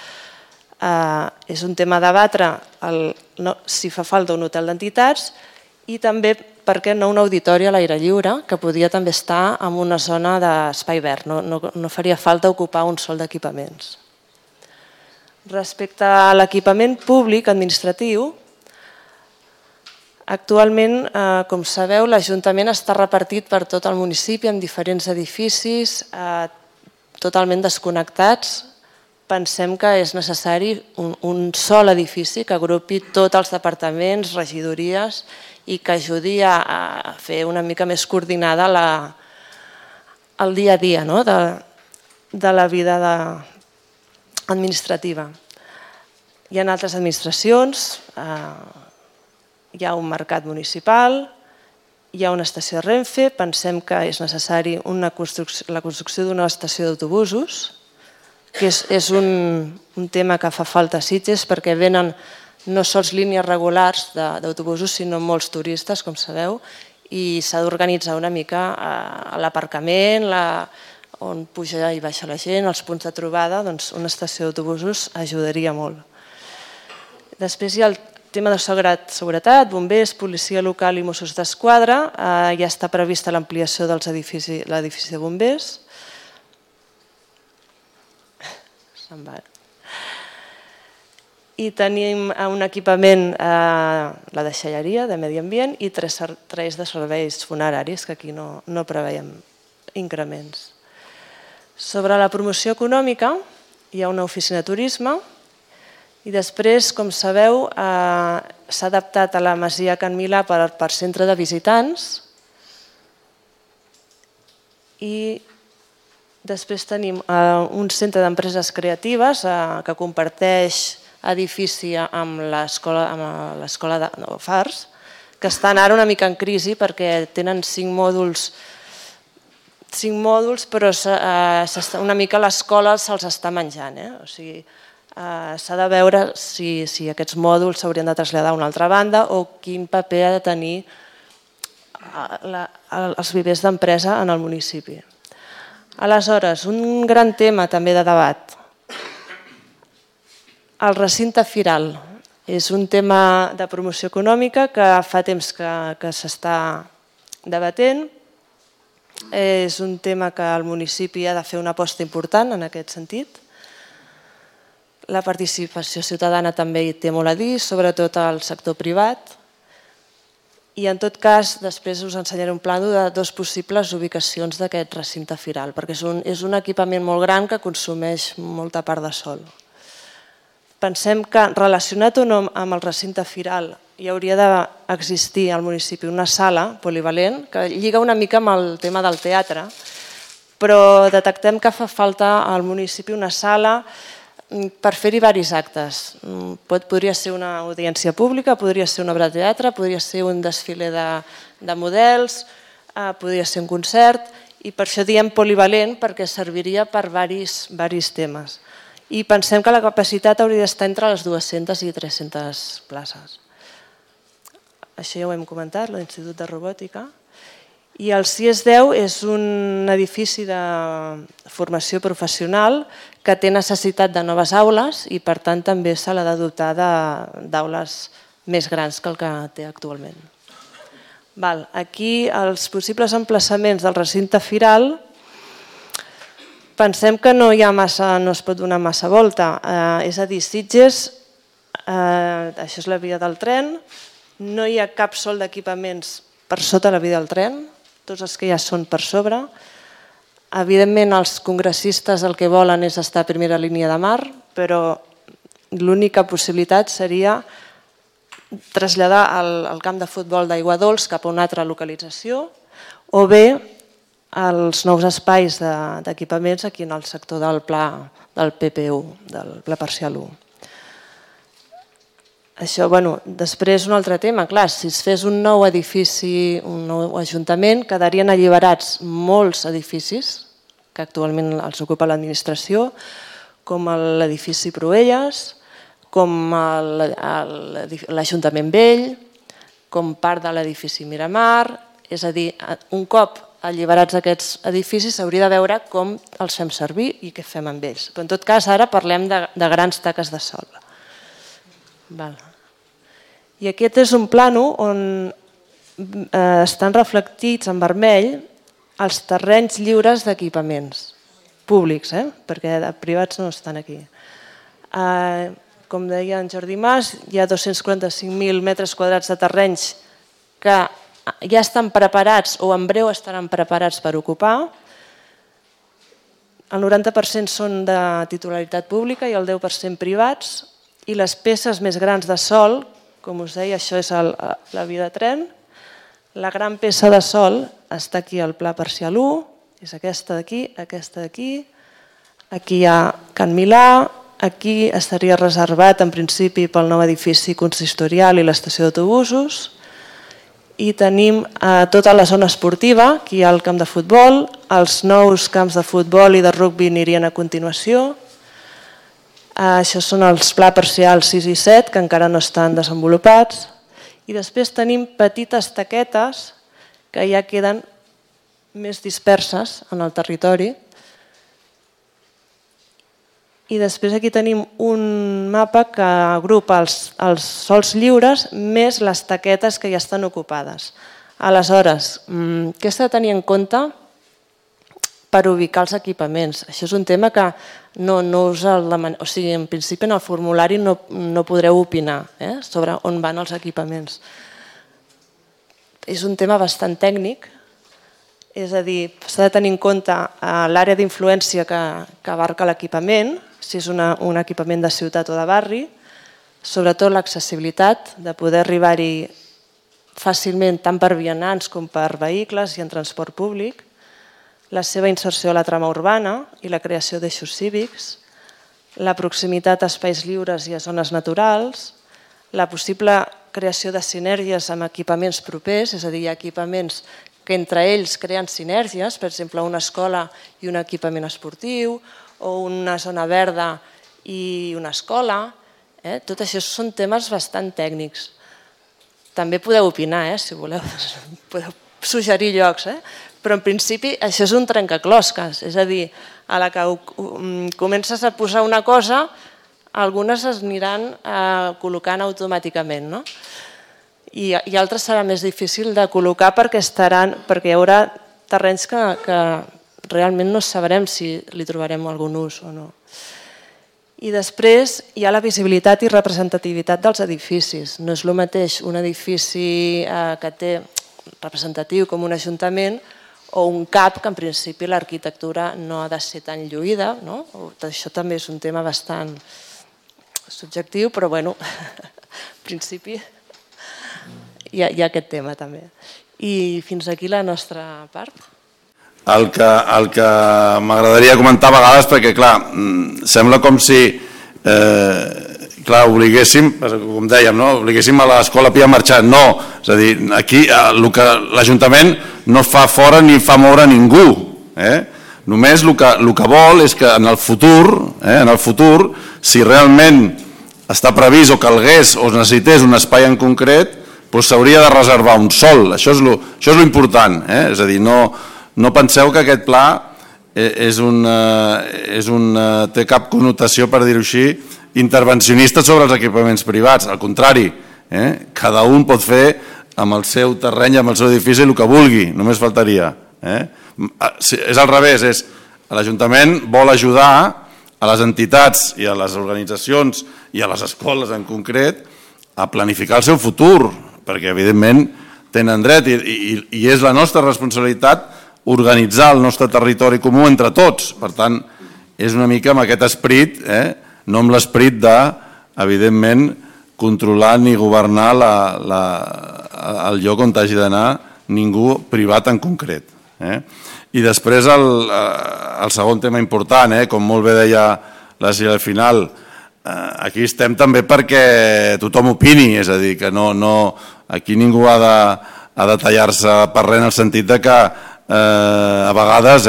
És un tema a debatre si fa falta un hotel d'entitats i també, per què no, un auditori a l'aire lliure, que podria també estar en una zona d'espai verd, no faria falta ocupar un sol d'equipaments. Respecte a l'equipament públic administratiu, Actualment, com sabeu, l'Ajuntament està repartit per tot el municipi en diferents edificis totalment desconnectats. Pensem que és necessari un sol edifici que agrupi tots els departaments, regidories i que ajudi a fer una mica més coordinada el dia a dia de la vida administrativa. Hi ha altres administracions, hi ha un mercat municipal, hi ha una estació de Renfe, pensem que és necessari la construcció d'una estació d'autobusos, que és un tema que fa falta a Sitges perquè venen no sols línies regulars d'autobusos, sinó molts turistes, com sabeu, i s'ha d'organitzar una mica l'aparcament, on puja i baixa la gent, els punts de trobada, doncs una estació d'autobusos ajudaria molt. Després hi ha el tema de seguretat, bombers, policia local i Mossos d'Esquadra. Ja està prevista l'ampliació de l'edifici de bombers. I tenim un equipament, la deixalleria de medi ambient i 3 de serveis funeraris, que aquí no preveiem increments. Sobre la promoció econòmica hi ha una oficina de turisme i després, com sabeu, s'ha adaptat a la Masia Can Milà per centre de visitants i després tenim un centre d'empreses creatives que comparteix edifici amb l'escola de Fars, que estan ara una mica en crisi perquè tenen 5 mòduls, però una mica l'escola se'ls està menjant. O sigui, s'ha de veure si aquests mòduls s'haurien de traslladar a una altra banda o quin paper ha de tenir els vivers d'empresa en el municipi. Aleshores, un gran tema també de debat. El recinte firal és un tema de promoció econòmica que fa temps que s'està debatent. És un tema que el municipi ha de fer una aposta important en aquest sentit. La participació ciutadana també hi té molt a dir, sobretot al sector privat. I en tot cas, després us ensenyaré un plànol de 2 possibles ubicacions d'aquest recinte firal, perquè és un equipament molt gran que consumeix molta part de sòl. Pensem que relacionat o no amb el recinte firal hi hauria d'existir al municipi una sala polivalent que lliga una mica amb el tema del teatre, però detectem que fa falta al municipi una sala per fer-hi diversos actes. Podria ser una audiència pública, podria ser una obra de teatre, podria ser un desfile de models, podria ser un concert, i per això diem polivalent, perquè serviria per diversos temes. I pensem que la capacitat hauria d'estar entre les 200 i 300 places. Això ja ho hem comentat, l'Institut de Robòtica. I el CIES10 és un edifici de formació professional que té necessitat de noves aules i per tant també se l'ha de dotar d'aules més grans que el que té actualment. Aquí els possibles emplaçaments del recinte firal pensem que no es pot donar massa volta. És a dir, Sitges, això és la via del tren, no hi ha cap sol d'equipaments per sota la via del tren, tots els que ja són per sobre. Evidentment, els congressistes el que volen és estar a primera línia de mar, però l'única possibilitat seria traslladar el camp de futbol d'Aigua Dols cap a una altra localització o bé els nous espais d'equipaments aquí en el sector del pla del PP1, del pla parcial 1. Això, després un altre tema, clar, si es fes un nou edifici, un nou ajuntament, quedarien alliberats molts edificis que actualment els ocupa l'administració, com l'edifici Proelles, com l'Ajuntament Vell, com part de l'edifici Miramar, és a dir, un cop alliberats aquests edificis s'hauria de veure com els fem servir i què fem amb ells. Però en tot cas ara parlem de grans taques de sol. I aquest és un plànol on estan reflectits en vermell els terrenys lliures d'equipaments públics, perquè privats no estan aquí. Com deia en Jordi Mas, hi ha 245.000 metres quadrats de terrenys que ja estan preparats o en breu estaran preparats per ocupar. El 90% són de titularitat pública i el 10% privats, i les peces més grans de sòl, com us deia, això és la via de tren. La gran peça de sòl està aquí al Pla Parcial 1, és aquesta d'aquí, aquí hi ha Can Milà, aquí estaria reservat en principi pel nou edifici consistorial i l'estació d'autobusos, i tenim tota la zona esportiva, aquí hi ha el camp de futbol, els nous camps de futbol i de rugby anirien a continuació. Això són els Pla Parcial 6 i 7, que encara no estan desenvolupats, i després tenim petites taquetes que ja queden més disperses en el territori. I després aquí tenim un mapa que agrupa els sòls lliures més les taquetes que ja estan ocupades. Aleshores, què s'ha de tenir en compte per ubicar els equipaments? Això és un tema que no us el demanem, o sigui, en principi en el formulari no podreu opinar sobre on van els equipaments. És un tema bastant tècnic, és a dir, s'ha de tenir en compte l'àrea d'influència que abarca l'equipament, si és un equipament de ciutat o de barri, sobretot l'accessibilitat, de poder arribar-hi fàcilment tant per vianants com per vehicles i en transport públic, la seva inserció a la trama urbana i la creació d'eixos cívics, la proximitat a espais lliures i a zones naturals, la possible creació de sinergies amb equipaments propers, és a dir, hi ha equipaments que entre ells creen sinergies, per exemple, una escola i un equipament esportiu, o una zona verda i una escola. Tot això són temes bastant tècnics. També podeu opinar, si voleu, podeu suggerir llocs, però en principi això és un trencaclosques, és a dir, a la que comences a posar una cosa, algunes es aniran col·locant automàticament, no? I altres serà més difícil de col·locar perquè hi haurà terrenys que realment no sabrem si li trobarem algun ús o no. I després hi ha la visibilitat i representativitat dels edificis. No és el mateix un edifici que té representatiu com un ajuntament o un CAP que en principi l'arquitectura no ha de ser tan lluïda. Això també és un tema bastant subjectiu, però bueno, en principi hi ha aquest tema també. I fins aquí la nostra part. El que m'agradaria comentar a vegades, perquè clar, sembla com si obliguéssim, com dèiem, obliguéssim a l'escola Pia a marxar. No, és a dir, aquí l'Ajuntament no fa fora ni fa moure ningú. Només el que vol és que en el futur, si realment està previst o calgués o necessités un espai en concret, s'hauria de reservar un sòl. Això és l'important. És a dir, no penseu que aquest pla té cap connotació, per dir-ho així, intervencionista sobre els equipaments privats. Al contrari, cada un pot fer amb el seu terreny, amb el seu edifici, el que vulgui, només faltaria. És al revés, l'Ajuntament vol ajudar a les entitats i a les organitzacions i a les escoles en concret a planificar el seu futur, perquè evidentment tenen dret i és la nostra responsabilitat organitzar el nostre territori comú entre tots. Per tant, és una mica amb aquest esperit, no amb l'esperit de, evidentment, controlar ni governar el lloc on hagi d'anar ningú privat en concret. I després el segon tema important, com molt bé deia la Sílvia al final, aquí estem també perquè tothom opini, és a dir, que aquí ningú ha de tallar-se per res en el sentit que a vegades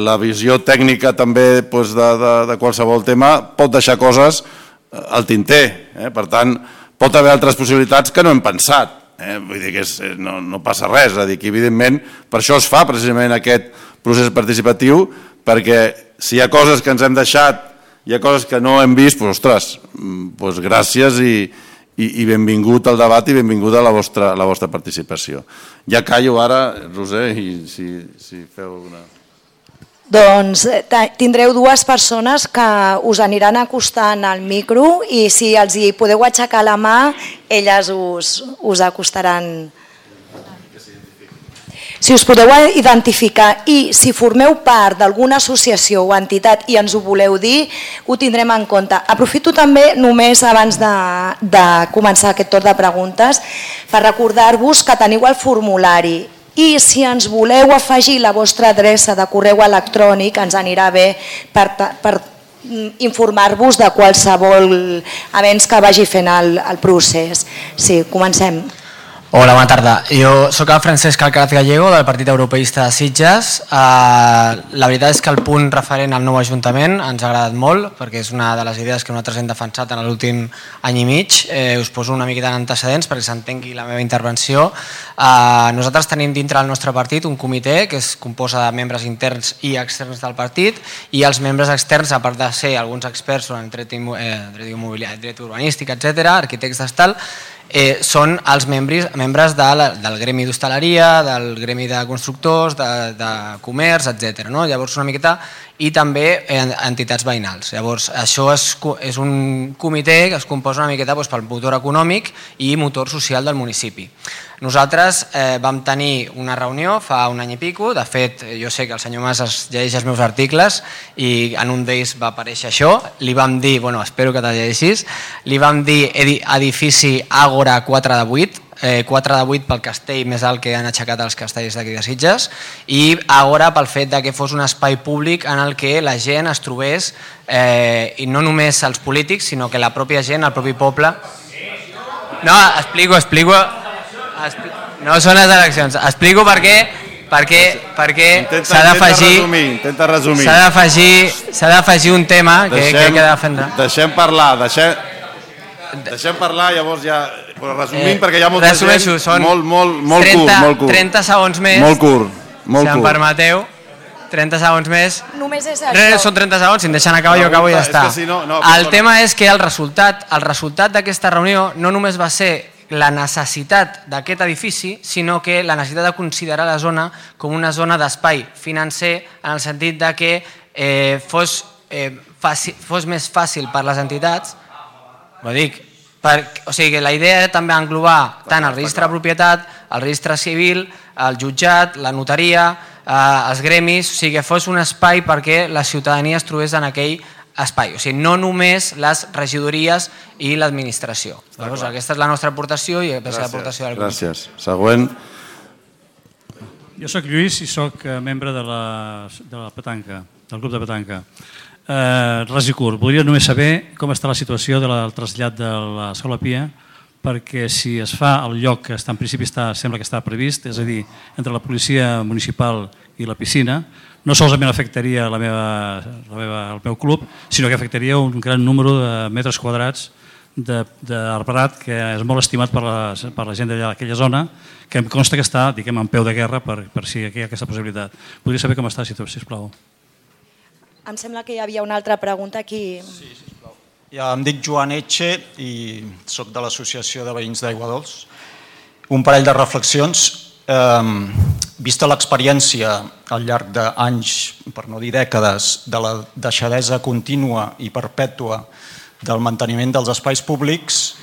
la visió tècnica també de qualsevol tema pot deixar coses al tinter. Per tant, pot haver altres possibilitats que no hem pensat. Vull dir que no passa res. És a dir, que evidentment per això es fa precisament aquest procés participatiu, perquè si hi ha coses que ens hem deixat, hi ha coses que no hem vist, ostres, gràcies i benvingut al debat i benvinguda a la vostra participació. Ja callo ara, Roser, i si feu una... Doncs tindreu dues persones que us aniran acostant al micro i si els hi podeu aixecar la mà, elles us acostaran. Si us podeu identificar i si formeu part d'alguna associació o entitat i ens ho voleu dir, ho tindrem en compte. Aprofito també, només abans de començar aquest torn de preguntes, per recordar-vos que teniu el formulari i si ens voleu afegir la vostra adreça de correu electrònic ens anirà bé per informar-vos de qualsevol avenç que vagi fent el procés. Sí, comencem. Hola, bona tarda. Jo sóc el Francesc Alcaraz Gallego del Partit Europeista de Sitges. La veritat és que el punt referent al nou Ajuntament ens ha agradat molt perquè és una de les idees que nosaltres hem defensat en l'últim any i mig. Us poso una miqueta en antecedents perquè s'entengui la meva intervenció. Nosaltres tenim dintre del nostre partit un comitè que es composa de membres interns i externs del partit i els membres externs, a part de ser alguns experts en dret immobiliari, dret urbanístic, etc., arquitectes tal, són els membres del gremi d'hostaleria, del gremi de constructors, de comerç, etc. Llavors una miqueta i també entitats veïnals. Llavors això és un comitè que es composa una miqueta pel motor econòmic i motor social del municipi. Nosaltres vam tenir una reunió fa un any i pico, de fet jo sé que el senyor Mas es llegeix els meus articles i en un d'ells va aparèixer això, li vam dir, espero que te'l llegeixis, li vam dir edifici Àgora 4 de 8, 4 de 8 pel castell més alt que han aixecat els castells d'aquí de Sitges i Àgora pel fet que fos un espai públic en el que la gent es trobés, i no només els polítics, sinó que la pròpia gent, el propi poble... No, explico... No són les eleccions. Explico per què s'ha d'afegir un tema que he de defendre. Deixem parlar, llavors ja... Resumint, perquè hi ha molta gent, molt curt. 30 segons més, si em permeteu, 30 segons més. Només és això. Són 30 segons, si em deixen acabar jo acabo i ja està. El tema és que el resultat d'aquesta reunió no només va ser la necessitat d'aquest edifici, sinó que la necessitat de considerar la zona com una zona d'espai financer en el sentit que fos més fàcil per les entitats, o sigui que la idea era també englobar tant el registre de propietat, el registre civil, el jutjat, la notaria, els gremis, o sigui que fos un espai perquè la ciutadania es trobés en aquell espai, o sigui, no només les regidories i l'administració. Aquesta és la nostra aportació i aquesta és l'aportació del grup. Gràcies. Següent. Jo soc Lluís i soc membre de la petanca, del grup de petanca. Res i curt, voldria només saber com està la situació del trasllat de l'Escola Pia, perquè si es fa al lloc que en principi sembla que està previst, és a dir, entre la policia municipal i la piscina, no solament afectaria el meu club, sinó que afectaria un gran número de metres quadrats d'arbrat que és molt estimat per la gent d'aquella zona, que em consta que està, diguem, en peu de guerra per si hi ha aquesta possibilitat. Podria saber com està la situació, sisplau. Em sembla que hi havia una altra pregunta aquí. Sí, sisplau. Ja em dic Joan Etxe i soc de l'Associació de Veïns d'Aigua Dols. Un parell de reflexions. Vista l'experiència al llarg d'anys, per no dir dècades, de la deixadesa contínua i perpètua del manteniment dels espais públics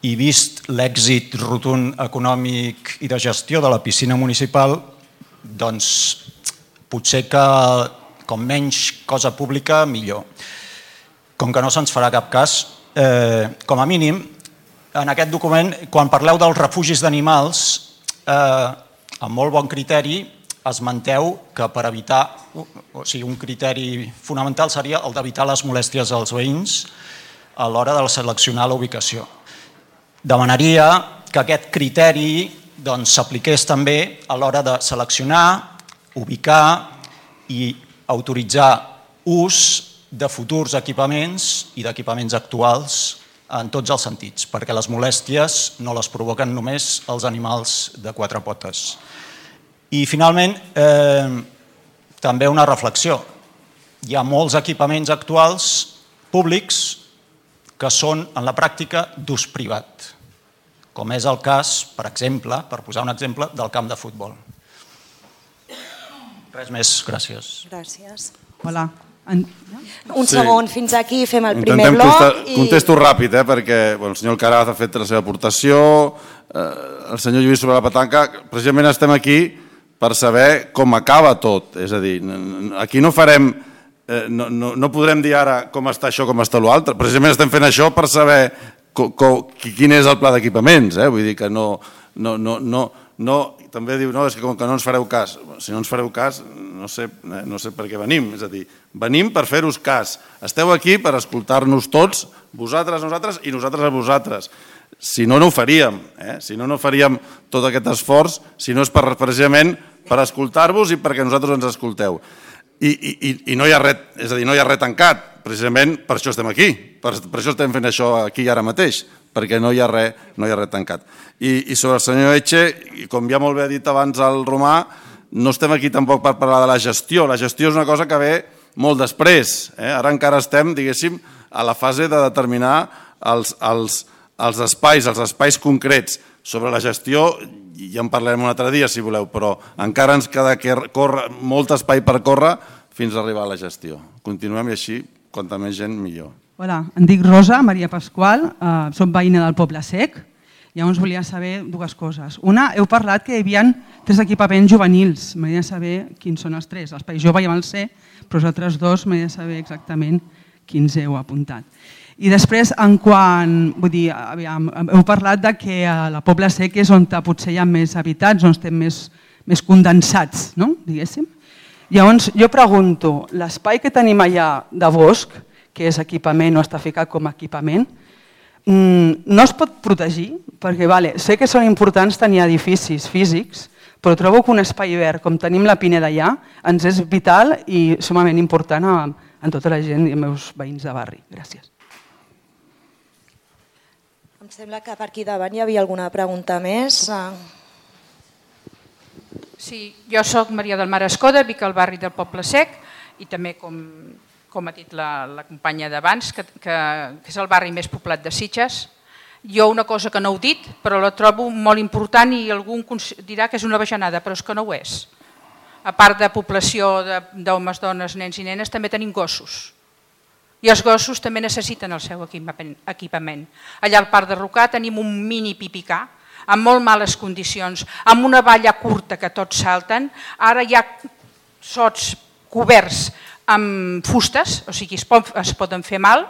i vist l'èxit rotund econòmic i de gestió de la piscina municipal, doncs potser que com menys cosa pública, millor. Com que no se'ns farà cap cas, com a mínim, en aquest document, quan parleu dels refugis d'animals, amb molt bon criteri, esmenteu que per evitar, o sigui, un criteri fonamental seria el d'evitar les molèsties als veïns a l'hora de seleccionar la ubicació. Demanaria que aquest criteri s'apliqués també a l'hora de seleccionar, ubicar i autoritzar ús de futurs equipaments i d'equipaments actuals en tots els sentits, perquè les molèsties no les provoquen només els animals de quatre potes. I finalment, també una reflexió. Hi ha molts equipaments actuals públics que són en la pràctica d'ús privat, com és el cas, per exemple, per posar un exemple, del camp de futbol. Res més, gràcies. Gràcies. Hola. Un segon, fins aquí fem el primer bloc. Contesto ràpid, perquè el senyor Alcaraz ha fet la seva aportació, el senyor Lluís sobre la petanca, precisament estem aquí per saber com acaba tot, és a dir, aquí no farem, no podrem dir ara com està això, com està l'altre, precisament estem fent això per saber quin és el pla d'equipaments, vull dir que no, també diu, no, és que com que no ens fareu cas, si no ens fareu cas, no sé per què venim, és a dir, venim per fer-vos cas, esteu aquí per escoltar-nos tots, vosaltres, nosaltres i nosaltres a vosaltres, si no, no ho faríem, si no, no faríem tot aquest esforç, si no és precisament per escoltar-vos i perquè nosaltres ens escolteu. I no hi ha res, és a dir, no hi ha res tancat, precisament per això estem aquí, per això estem fent això aquí ara mateix, perquè no hi ha res tancat. I sobre el senyor Etxe, com ja molt bé ha dit abans el Romà, no estem aquí tampoc per parlar de la gestió és una cosa que ve molt després, ara encara estem, diguéssim, a la fase de determinar els espais concrets. Sobre la gestió ja en parlarem un altre dia, si voleu, però encara ens queda molt espai per córrer fins a arribar a la gestió. Continuem i així, quanta més gent, millor. Hola, em dic Rosa Maria Pasqual, soc veïna del Poble Sec. Llavors volia saber dues coses. Una, heu parlat que hi havia 3 equipaments juvenils. M'agradaria saber quins són els 3. L'espai jove ja me'l sé, però els altres 2 m'agradaria saber exactament quins heu apuntat. I després, heu parlat que a la Poble Sec és on potser hi ha més habitats, on estem més condensats, diguéssim. Llavors, jo pregunto, l'espai que tenim allà de bosc, que és equipament o està ficat com a equipament, no es pot protegir? Perquè sé que són importants tenir edificis físics, però trobo que un espai verd, com tenim la Pineda allà, ens és vital i sumament important a tota la gent i els meus veïns de barri. Gràcies. Em sembla que per aquí davant hi havia alguna pregunta més. Sí, jo soc Maria del Mar Escoda, vic al barri del Poble Sec i també, com ha dit la companya d'abans, que és el barri més poblat de Sitges. Jo una cosa que no heu dit, però la trobo molt important i algú dirà que és una bajanada, però és que no ho és. A part de població d'homes, dones, nens i nenes, també tenim gossos. I els gossos també necessiten el seu equipament. Allà al Parc de Rocà tenim un mini pipicà, amb molt males condicions, amb una valla curta que tots salten. Ara hi ha sots coberts amb fustes, o sigui, es poden fer mal,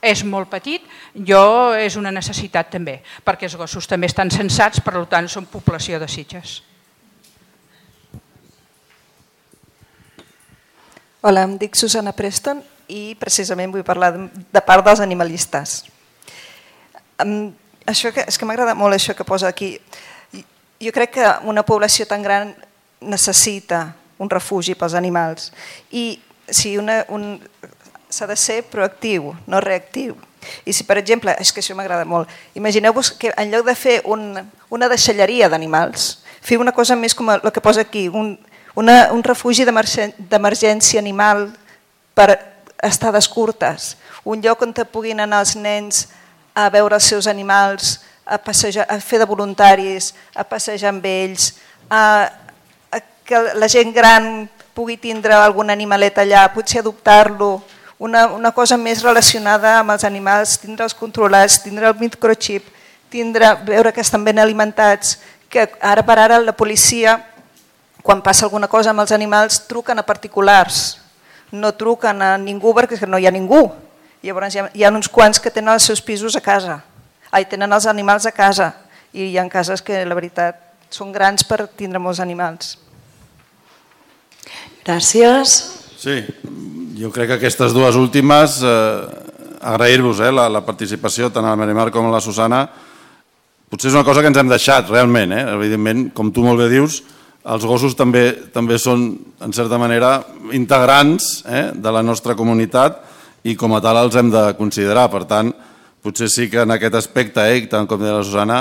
és molt petit, és una necessitat també, perquè els gossos també estan censats, per tant són població de Sitges. Hola, em dic Susana Preston i precisament vull parlar de part dels animalistes. És que m'agrada molt això que posa aquí. Jo crec que una població tan gran necessita un refugi pels animals i s'ha de ser proactiu, no reactiu. I si, per exemple, és que això m'agrada molt, imagineu-vos que en lloc de fer una deixalleria d'animals, fer una cosa més com el que posa aquí, un refugi d'emergència animal per estades curtes, un lloc on puguin anar els nens a veure els seus animals, a fer de voluntaris, a passejar amb ells, que la gent gran pugui tindre algun animalet allà, potser adoptar-lo, una cosa més relacionada amb els animals, tindre'ls controlats, tindre el microchip, veure que estan ben alimentats, que ara per ara la policia, quan passa alguna cosa amb els animals, truquen a particulars, no truquen a ningú perquè no hi ha ningú. Llavors hi ha uns quants que tenen els seus pisos a casa, tenen els animals a casa, i hi ha cases que la veritat són grans per tindre molts animals. Gràcies. Sí, jo crec que aquestes dues últimes, agrair-vos la participació tant a la Marimar com a la Susana, potser és una cosa que ens hem deixat realment, evidentment, com tu molt bé dius, els gossos també són, en certa manera, integrants de la nostra comunitat i com a tal els hem de considerar. Per tant, potser sí que en aquest aspecte, tant com deia la Susana,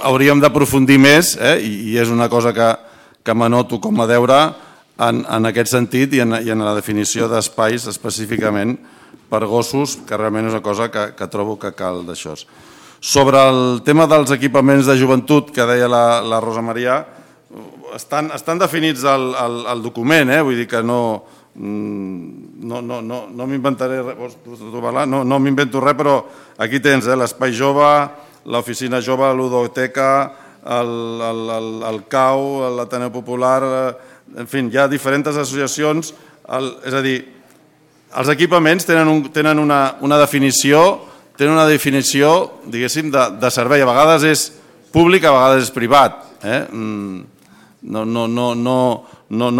hauríem d'aprofundir més i és una cosa que m'anoto com a deure en aquest sentit i en la definició d'espais específicament per gossos, que realment és una cosa que trobo que cal d'això. Sobre el tema dels equipaments de joventut que deia la Rosa Maria, estan definits al document, vull dir que no m'inventaré res, no m'invento res, però aquí tens l'Espai Jove, l'Oficina Jove, la Ludoteca, el CAU, l'Ateneu Popular, en fi, hi ha diferents associacions, és a dir, els equipaments tenen una definició, diguéssim, de servei. A vegades és públic, a vegades és privat. No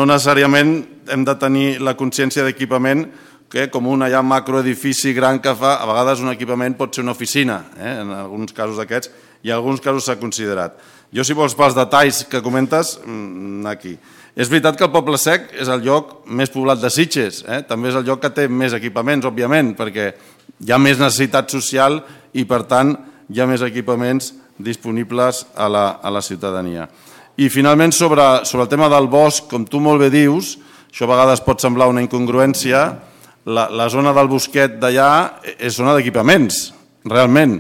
necessàriament hem de tenir la consciència d'equipament que com un macroedifici gran que fa, a vegades un equipament pot ser una oficina, en alguns casos d'aquests, i en alguns casos s'ha considerat. Jo, si vols, pels detalls que comentes, anar aquí. És veritat que el Poble Sec és el lloc més poblat de Sitges, també és el lloc que té més equipaments, òbviament, perquè hi ha més necessitat social i, per tant, hi ha més equipaments disponibles a la ciutadania. I, finalment, sobre el tema del bosc, com tu molt bé dius, això a vegades pot semblar una incongruència, la zona del bosquet d'allà és zona d'equipaments, realment.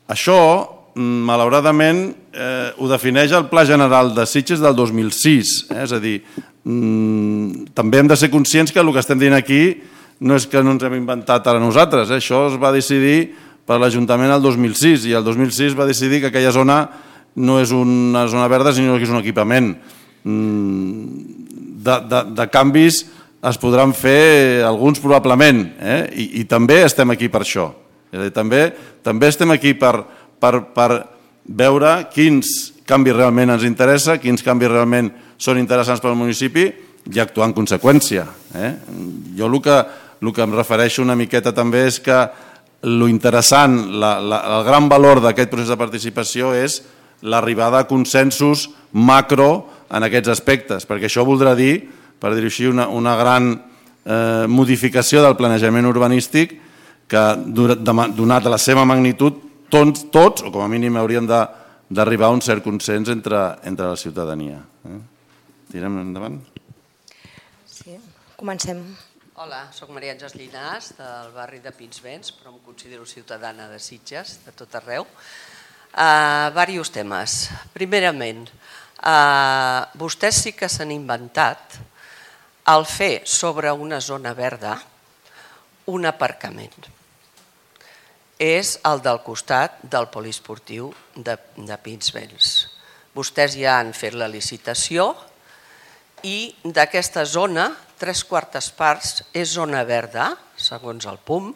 Això, malauradament, ho defineix el Pla General de Sitges del 2006. És a dir, també hem de ser conscients que el que estem dient aquí no és que no ens hem inventat ara nosaltres. Això es va decidir per l'Ajuntament el 2006 i el 2006 va decidir que aquella zona no és una zona verda, sinó que és un equipament. De canvis es podran fer alguns probablement, i també estem aquí per això. També estem aquí per veure quins canvis realment ens interessa, quins canvis realment són interessants per al municipi i actuar en conseqüència. Jo el que em refereixo una miqueta també és que l'interessant, el gran valor d'aquest procés de participació és l'arribada a consensos macro en aquests aspectes, perquè això voldrà dir, per dir-ho així, una gran modificació del planejament urbanístic que, donat la seva magnitud, tots, o com a mínim, hauríem d'arribar a un cert consens entre la ciutadania. Tirem endavant? Sí, comencem. Hola, soc Maria Àngels Llinàs, del barri de Pinsbens, però em considero ciutadana de Sitges, de tot arreu. Diversos temes. Primerament, vostès sí que s'han inventat el fer sobre una zona verda un aparcament. És el del costat del poliesportiu de Pinsbens. Vostès ja han fet la licitació i d'aquesta zona, 3/4 parts és zona verda, segons el PUM,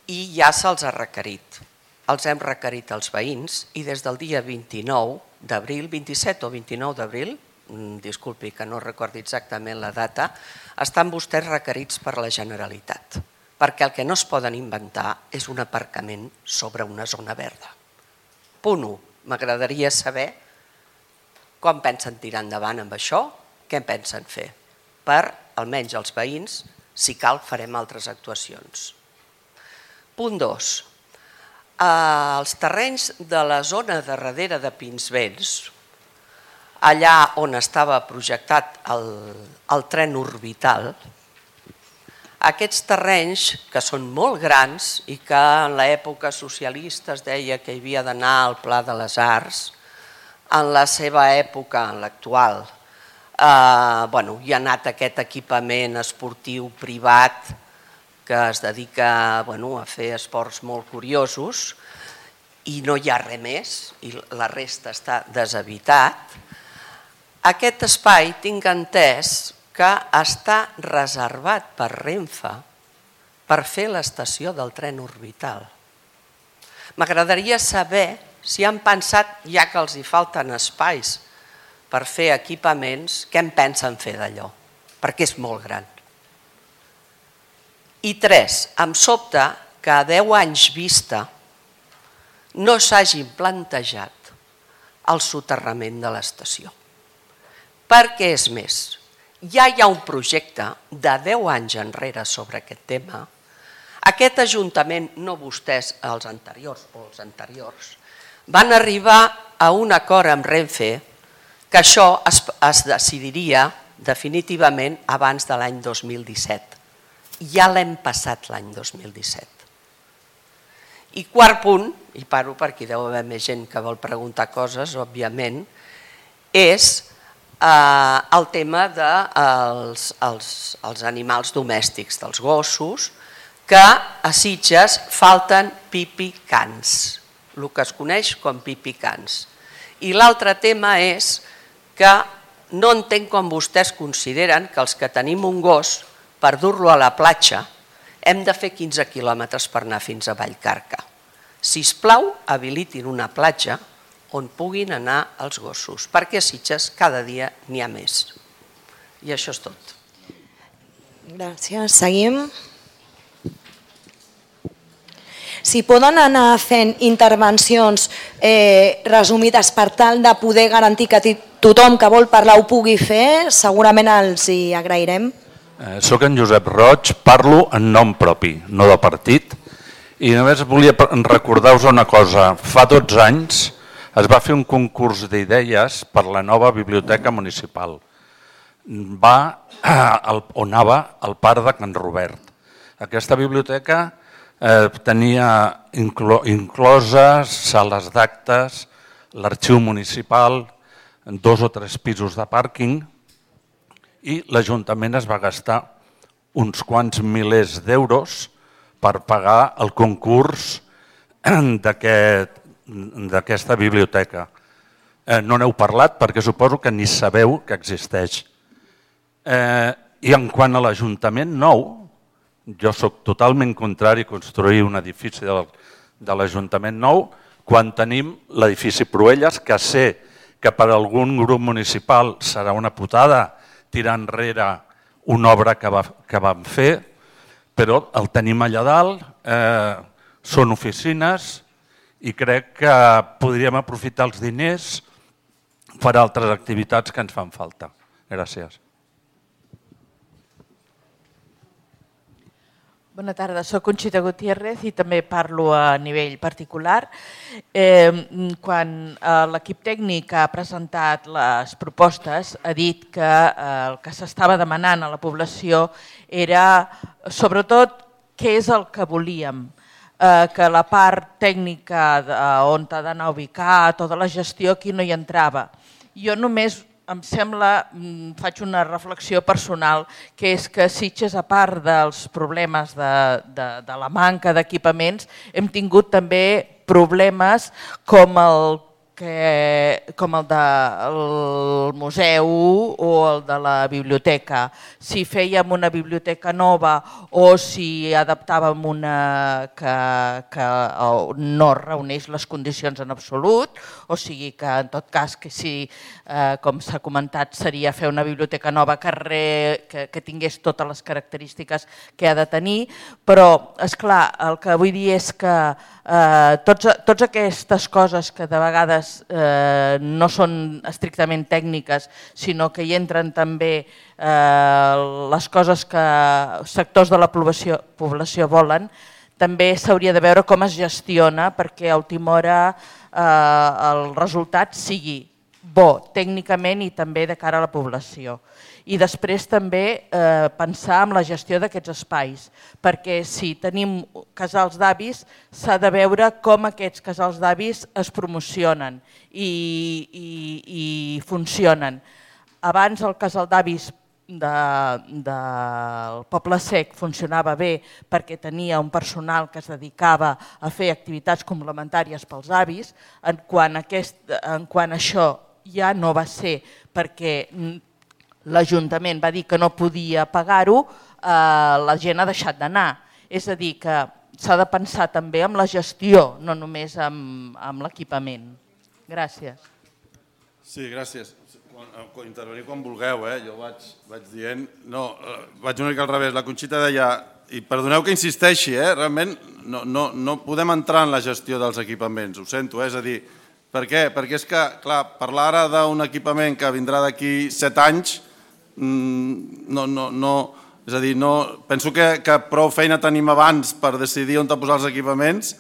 i ja se'ls ha requerit. Els hem requerit als veïns i des del dia 29 d'abril, 27 o 29 d'abril, disculpi que no recordi exactament la data, estan vostès requerits per la Generalitat, perquè el que no es poden inventar és un aparcament sobre una zona verda. Punt 1. M'agradaria saber com pensen tirar endavant amb això, què en pensen fer. Per, almenys els veïns, si cal, farem altres actuacions. Punt 2. Els terrenys de la zona de darrere de Pinsbens, allà on estava projectat el tren orbital, aquests terrenys, que són molt grans i que en l'època socialista es deia que hi havia d'anar al Pla de les Arts, en la seva època, en l'actual, hi ha anat aquest equipament esportiu privat que es dedica a fer esports molt curiosos i no hi ha res més i la resta està deshabitat. Aquest espai tinc entès que està reservat per Renfe per fer l'estació del tren orbital. M'agradaria saber si han pensat, ja que els hi falten espais per fer equipaments, què en pensen fer d'allò? Perquè és molt gran. I 3, em sobta que a 10 anys vista no s'hagin plantejat el soterrament de l'estació. Perquè és més, ja hi ha un projecte de 10 anys enrere sobre aquest tema. Aquest Ajuntament, no vostès, els anteriors o els anteriors, van arribar a un acord amb Renfe que això es decidiria definitivament abans de l'any 2017. Ja l'hem passat l'any 2017. I quart punt, i paro perquè deu haver més gent que vol preguntar coses, òbviament, és el tema dels animals domèstics, dels gossos, que a Sitges falten pipicans, el que es coneix com pipicans. I l'altre tema és que no entenc com vostès consideren que els que tenim un gos, per dur-lo a la platja, hem de fer 15 quilòmetres per anar fins a Vallcarca. Sisplau, habilitin una platja on puguin anar els gossos, perquè a Sitges cada dia n'hi ha més. I això és tot. Gràcies. Seguim. Si poden anar fent intervencions resumides per tal de poder garantir que tothom que vol parlar ho pugui fer, segurament els hi agrairem. Soc en Josep Roig, parlo en nom propi, no de partit, i només volia recordar-vos una cosa. Fa 12 anys es va fer un concurs d'idees per la nova biblioteca municipal. On anava el parc de Can Robert. Aquesta biblioteca tenia incloses sales d'actes, l'arxiu municipal, 2 o 3 pisos de pàrquing, i l'Ajuntament es va gastar uns quants milers d'euros per pagar el concurs d'aquesta biblioteca. No n'heu parlat perquè suposo que ni sabeu que existeix. I en quant a l'Ajuntament nou, jo sóc totalment contrari a construir un edifici de l'Ajuntament nou quan tenim l'edifici Proelles, que sé que per algun grup municipal serà una putada tirar enrere una obra que vam fer, però el tenim allà dalt, són oficines i crec que podríem aprofitar els diners per a altres activitats que ens fan falta. Gràcies. Bona tarda, soc Conxita Gutiérrez i també parlo a nivell particular. Quan l'equip tècnic ha presentat les propostes, ha dit que el que s'estava demanant a la població era, sobretot, què és el que volíem, que la part tècnica on ha d'anar a ubicar, tota la gestió, aquí no hi entrava. Jo només em sembla, faig una reflexió personal, que és que Sitges, a part dels problemes de la manca d'equipaments, hem tingut també problemes com el del museu o el de la biblioteca. Si fèiem una biblioteca nova o si adaptàvem una que no reuneix les condicions en absolut, o sigui que en tot cas que sí, com s'ha comentat, seria fer una biblioteca nova que tingués totes les característiques que ha de tenir, però esclar, el que vull dir és que totes aquestes coses que de vegades no són estrictament tècniques, sinó que hi entren també les coses que sectors de la població volen, també s'hauria de veure com es gestiona perquè a última hora el resultat sigui bo tècnicament i també de cara a la població. I després també pensar en la gestió d'aquests espais, perquè si tenim casals d'avis s'ha de veure com aquests casals d'avis es promocionen i funcionen. Abans el casal d'avis del Poble Sec funcionava bé perquè tenia un personal que es dedicava a fer activitats complementàries pels avis, en quant això ja no va ser perquè l'Ajuntament va dir que no podia pagar-ho, la gent ha deixat d'anar. És a dir, que s'ha de pensar també en la gestió, no només en l'equipament. Gràcies. Sí, gràcies. Intervenir quan vulgueu, jo vaig dient... No, vaig una mica al revés. La Conxita deia, i perdoneu que insisteixi, realment no podem entrar en la gestió dels equipaments, ho sento, és a dir, per què? Perquè és que, clar, parlar ara d'un equipament que vindrà d'aquí 7 anys, és a dir, penso que prou feina tenim abans per decidir on posar els equipaments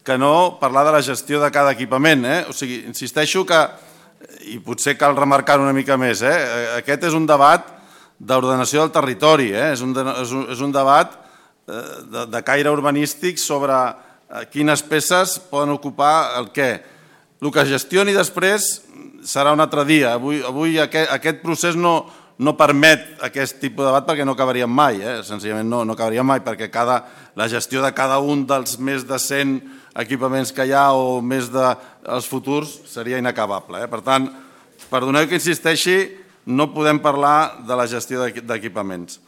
que no parlar de la gestió de cada equipament. O sigui, insisteixo que, i potser cal remarcar una mica més, aquest és un debat d'ordenació del territori, és un debat de caire urbanístic sobre quines peces poden ocupar el què. El que es gestioni després serà un altre dia. Avui aquest procés no permet aquest tipus de debat perquè no acabaríem mai, senzillament no acabaríem mai, perquè la gestió de cada un dels més de 100 equipaments que hi ha o més dels futurs seria inacabable. Per tant, perdoneu que insisteixi, no podem parlar de la gestió d'equipaments.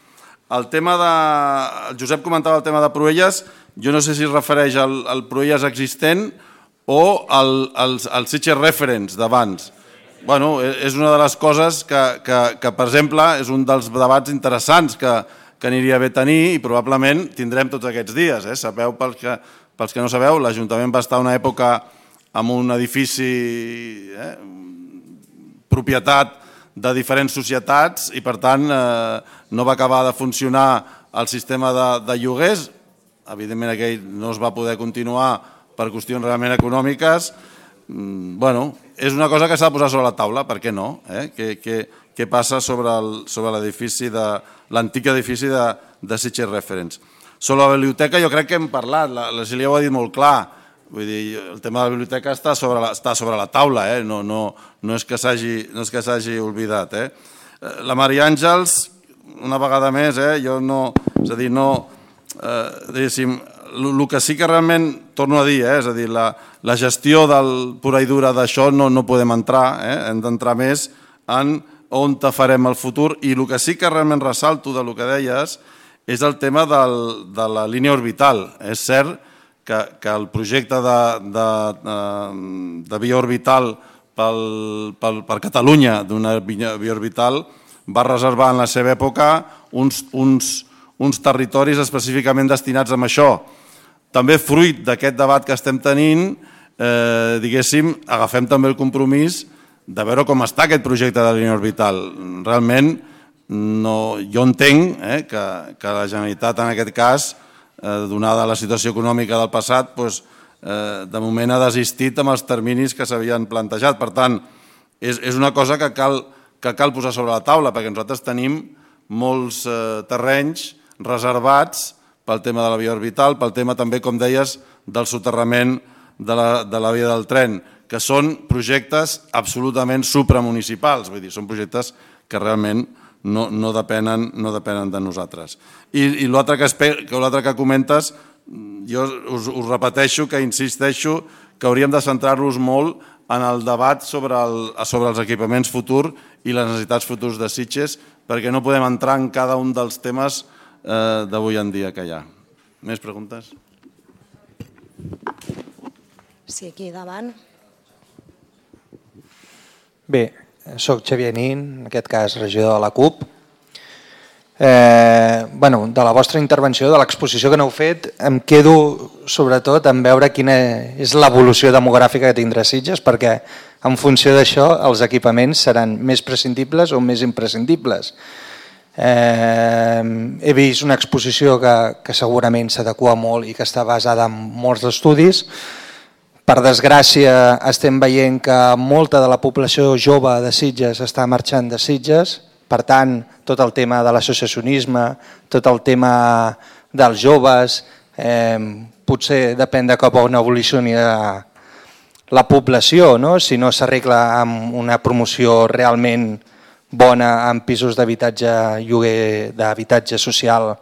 El Josep comentava el tema de Proelles, jo no sé si es refereix al Proelles existent o als Sitges Referents d'abans. Bueno, és una de les coses que, per exemple, és un dels debats interessants que aniria bé tenir i probablement tindrem tots aquests dies. Sabeu, pels que no sabeu, l'Ajuntament va estar una època amb un edifici propietat de diferents societats i, per tant, no va acabar de funcionar el sistema de lloguers. Evidentment, aquell no es va poder continuar per qüestions realment econòmiques. Bueno, és una cosa que s'ha de posar sobre la taula, per què no? Què passa sobre l'edifici, l'antic edifici de Sitges Referents. Sobre la biblioteca jo crec que hem parlat, la Cília ho ha dit molt clar, vull dir, el tema de la biblioteca està sobre la taula, no és que s'hagi oblidat. La Maria Àngels, una vegada més, jo no, és a dir, no, diguéssim, el que sí que realment, torno a dir, és a dir, la gestió del pura i dura d'això no podem entrar, hem d'entrar més en on farem el futur, i el que sí que realment ressalto del que deies és el tema de la línia orbital. És cert que el projecte de via orbital per Catalunya, d'una via orbital, va reservar en la seva època uns territoris específicament destinats a això. També fruit d'aquest debat que estem tenint, diguéssim, agafem també el compromís de veure com està aquest projecte de línia orbital. Realment, jo entenc que la Generalitat, en aquest cas, donada la situació econòmica del passat, de moment ha desistit amb els terminis que s'havien plantejat. Per tant, és una cosa que cal posar sobre la taula, perquè nosaltres tenim molts terrenys reservats pel tema de la via orbital, pel tema també, com deies, del soterrament de la via del tren, que són projectes absolutament supramunicipals, vull dir, són projectes que realment no depenen de nosaltres. I l'altre que comentes, jo us repeteixo, que insisteixo que hauríem de centrar-nos molt en el debat sobre els equipaments futurs i les necessitats futurs de Sitges, perquè no podem entrar en cada un dels temes d'avui en dia que hi ha. Més preguntes? Sí, aquí davant. Bé, soc Xavier Nin, en aquest cas regidor de la CUP. De la vostra intervenció, de l'exposició que n'heu fet, em quedo sobretot en veure quina és l'evolució demogràfica que tindrà Sitges, perquè en funció d'això els equipaments seran més prescindibles o més imprescindibles. He vist una exposició que segurament s'adequa molt i que està basada en molts estudis. Per desgràcia estem veient que molta de la població jove de Sitges està marxant de Sitges, per tant tot el tema de l'associacionisme, tot el tema dels joves, potser depèn de cap on evolucioni la població, si no s'arregla amb una promoció realment bona en pisos d'habitatge, lloguer d'habitatge social,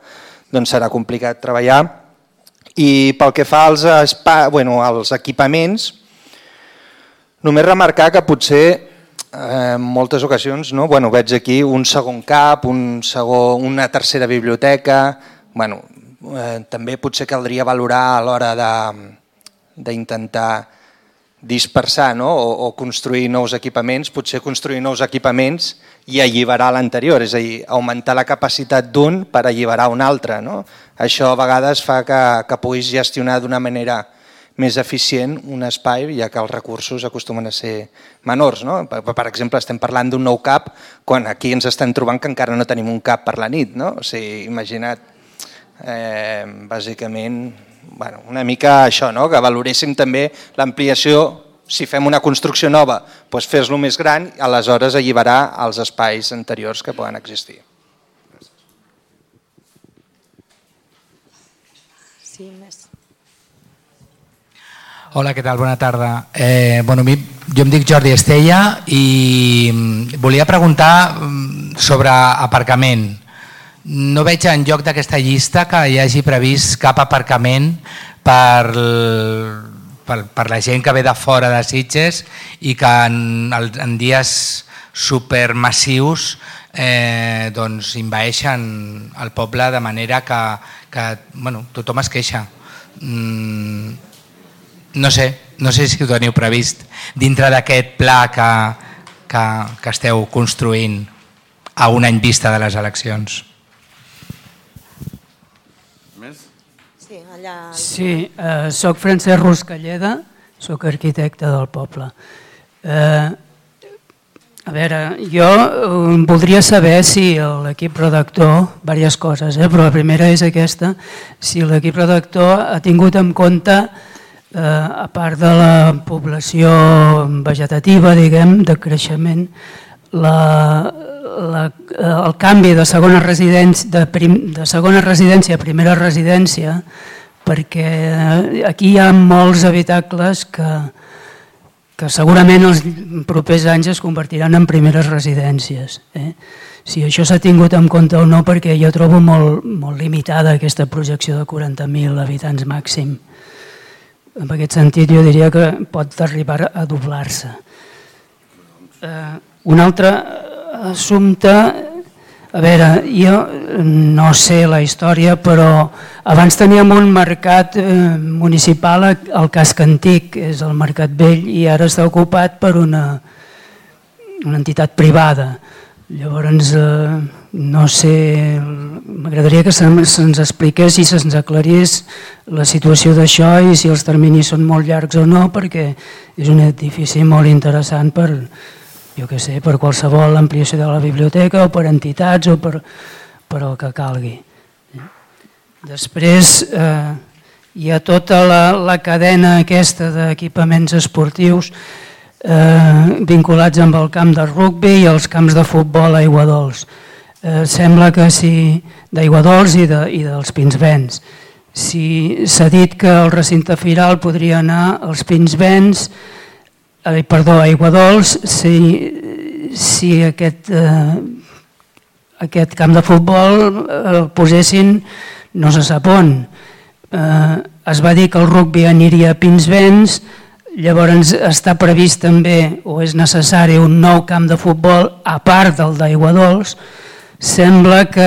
doncs serà complicat treballar. I pel que fa als equipaments, només remarcar que potser en moltes ocasions veig aquí un segon CAP, una tercera biblioteca, també potser caldria valorar a l'hora d'intentar dispersar o construir nous equipaments, potser construir nous equipaments i alliberar l'anterior, és a dir, augmentar la capacitat d'un per alliberar un altre. Això a vegades fa que puguis gestionar d'una manera més eficient un espai, ja que els recursos acostumen a ser menors. Per exemple, estem parlant d'un nou CAP quan aquí ens estem trobant que encara no tenim un CAP per la nit. O sigui, imagina't, bàsicament, una mica això, que valoréssim també l'ampliació. Si fem una construcció nova, doncs fer-lo més gran i aleshores alliberar els espais anteriors que poden existir. Sí, més. Hola, què tal? Bona tarda. Jo em dic Jordi Estella i volia preguntar sobre aparcament. No veig en lloc d'aquesta llista que hi hagi previst cap aparcament per la gent que ve de fora de Sitges i que en dies supermassius envaeixen el poble de manera que tothom es queixa. No sé si ho teniu previst dintre d'aquest pla que esteu construint a un any vista de les eleccions. Sí, soc Francesc Ruscalleda, soc arquitecte del poble. A veure, jo voldria saber si l'equip redactor, diverses coses, però la primera és aquesta, si l'equip redactor ha tingut en compte, a part de la població vegetativa, diguem, de creixement, el canvi de segona residència a primera residència, perquè aquí hi ha molts habitacles que segurament els propers anys es convertiran en primeres residències. Si això s'ha tingut en compte o no, perquè jo trobo molt limitada aquesta projecció de 40.000 habitants màxim. En aquest sentit jo diria que pot arribar a doblar-se. Un altre assumpte, a veure, jo no sé la història, però abans teníem un mercat municipal al Casc Antic, és el Mercat Vell, i ara està ocupat per una entitat privada. Llavors, no sé, m'agradaria que se'ns expliqués i se'ns aclarís la situació d'això i si els terminis són molt llargs o no, perquè és un edifici molt interessant per, jo què sé, per qualsevol ampliació de la biblioteca o per entitats o per el que calgui. Després hi ha tota la cadena aquesta d'equipaments esportius vinculats amb el camp de rugbi i els camps de futbol a Aiguadols. Sembla que sí, d'Aiguadols i dels Pinsbens. Si s'ha dit que el recinte firal podria anar als Pinsbens, a Aiguadols, si aquest camp de futbol el posessin no se sap on. Es va dir que el rugbi aniria a Pinsbens, llavors està previst també, o és necessari, un nou camp de futbol a part del d'Aiguadols. Sembla que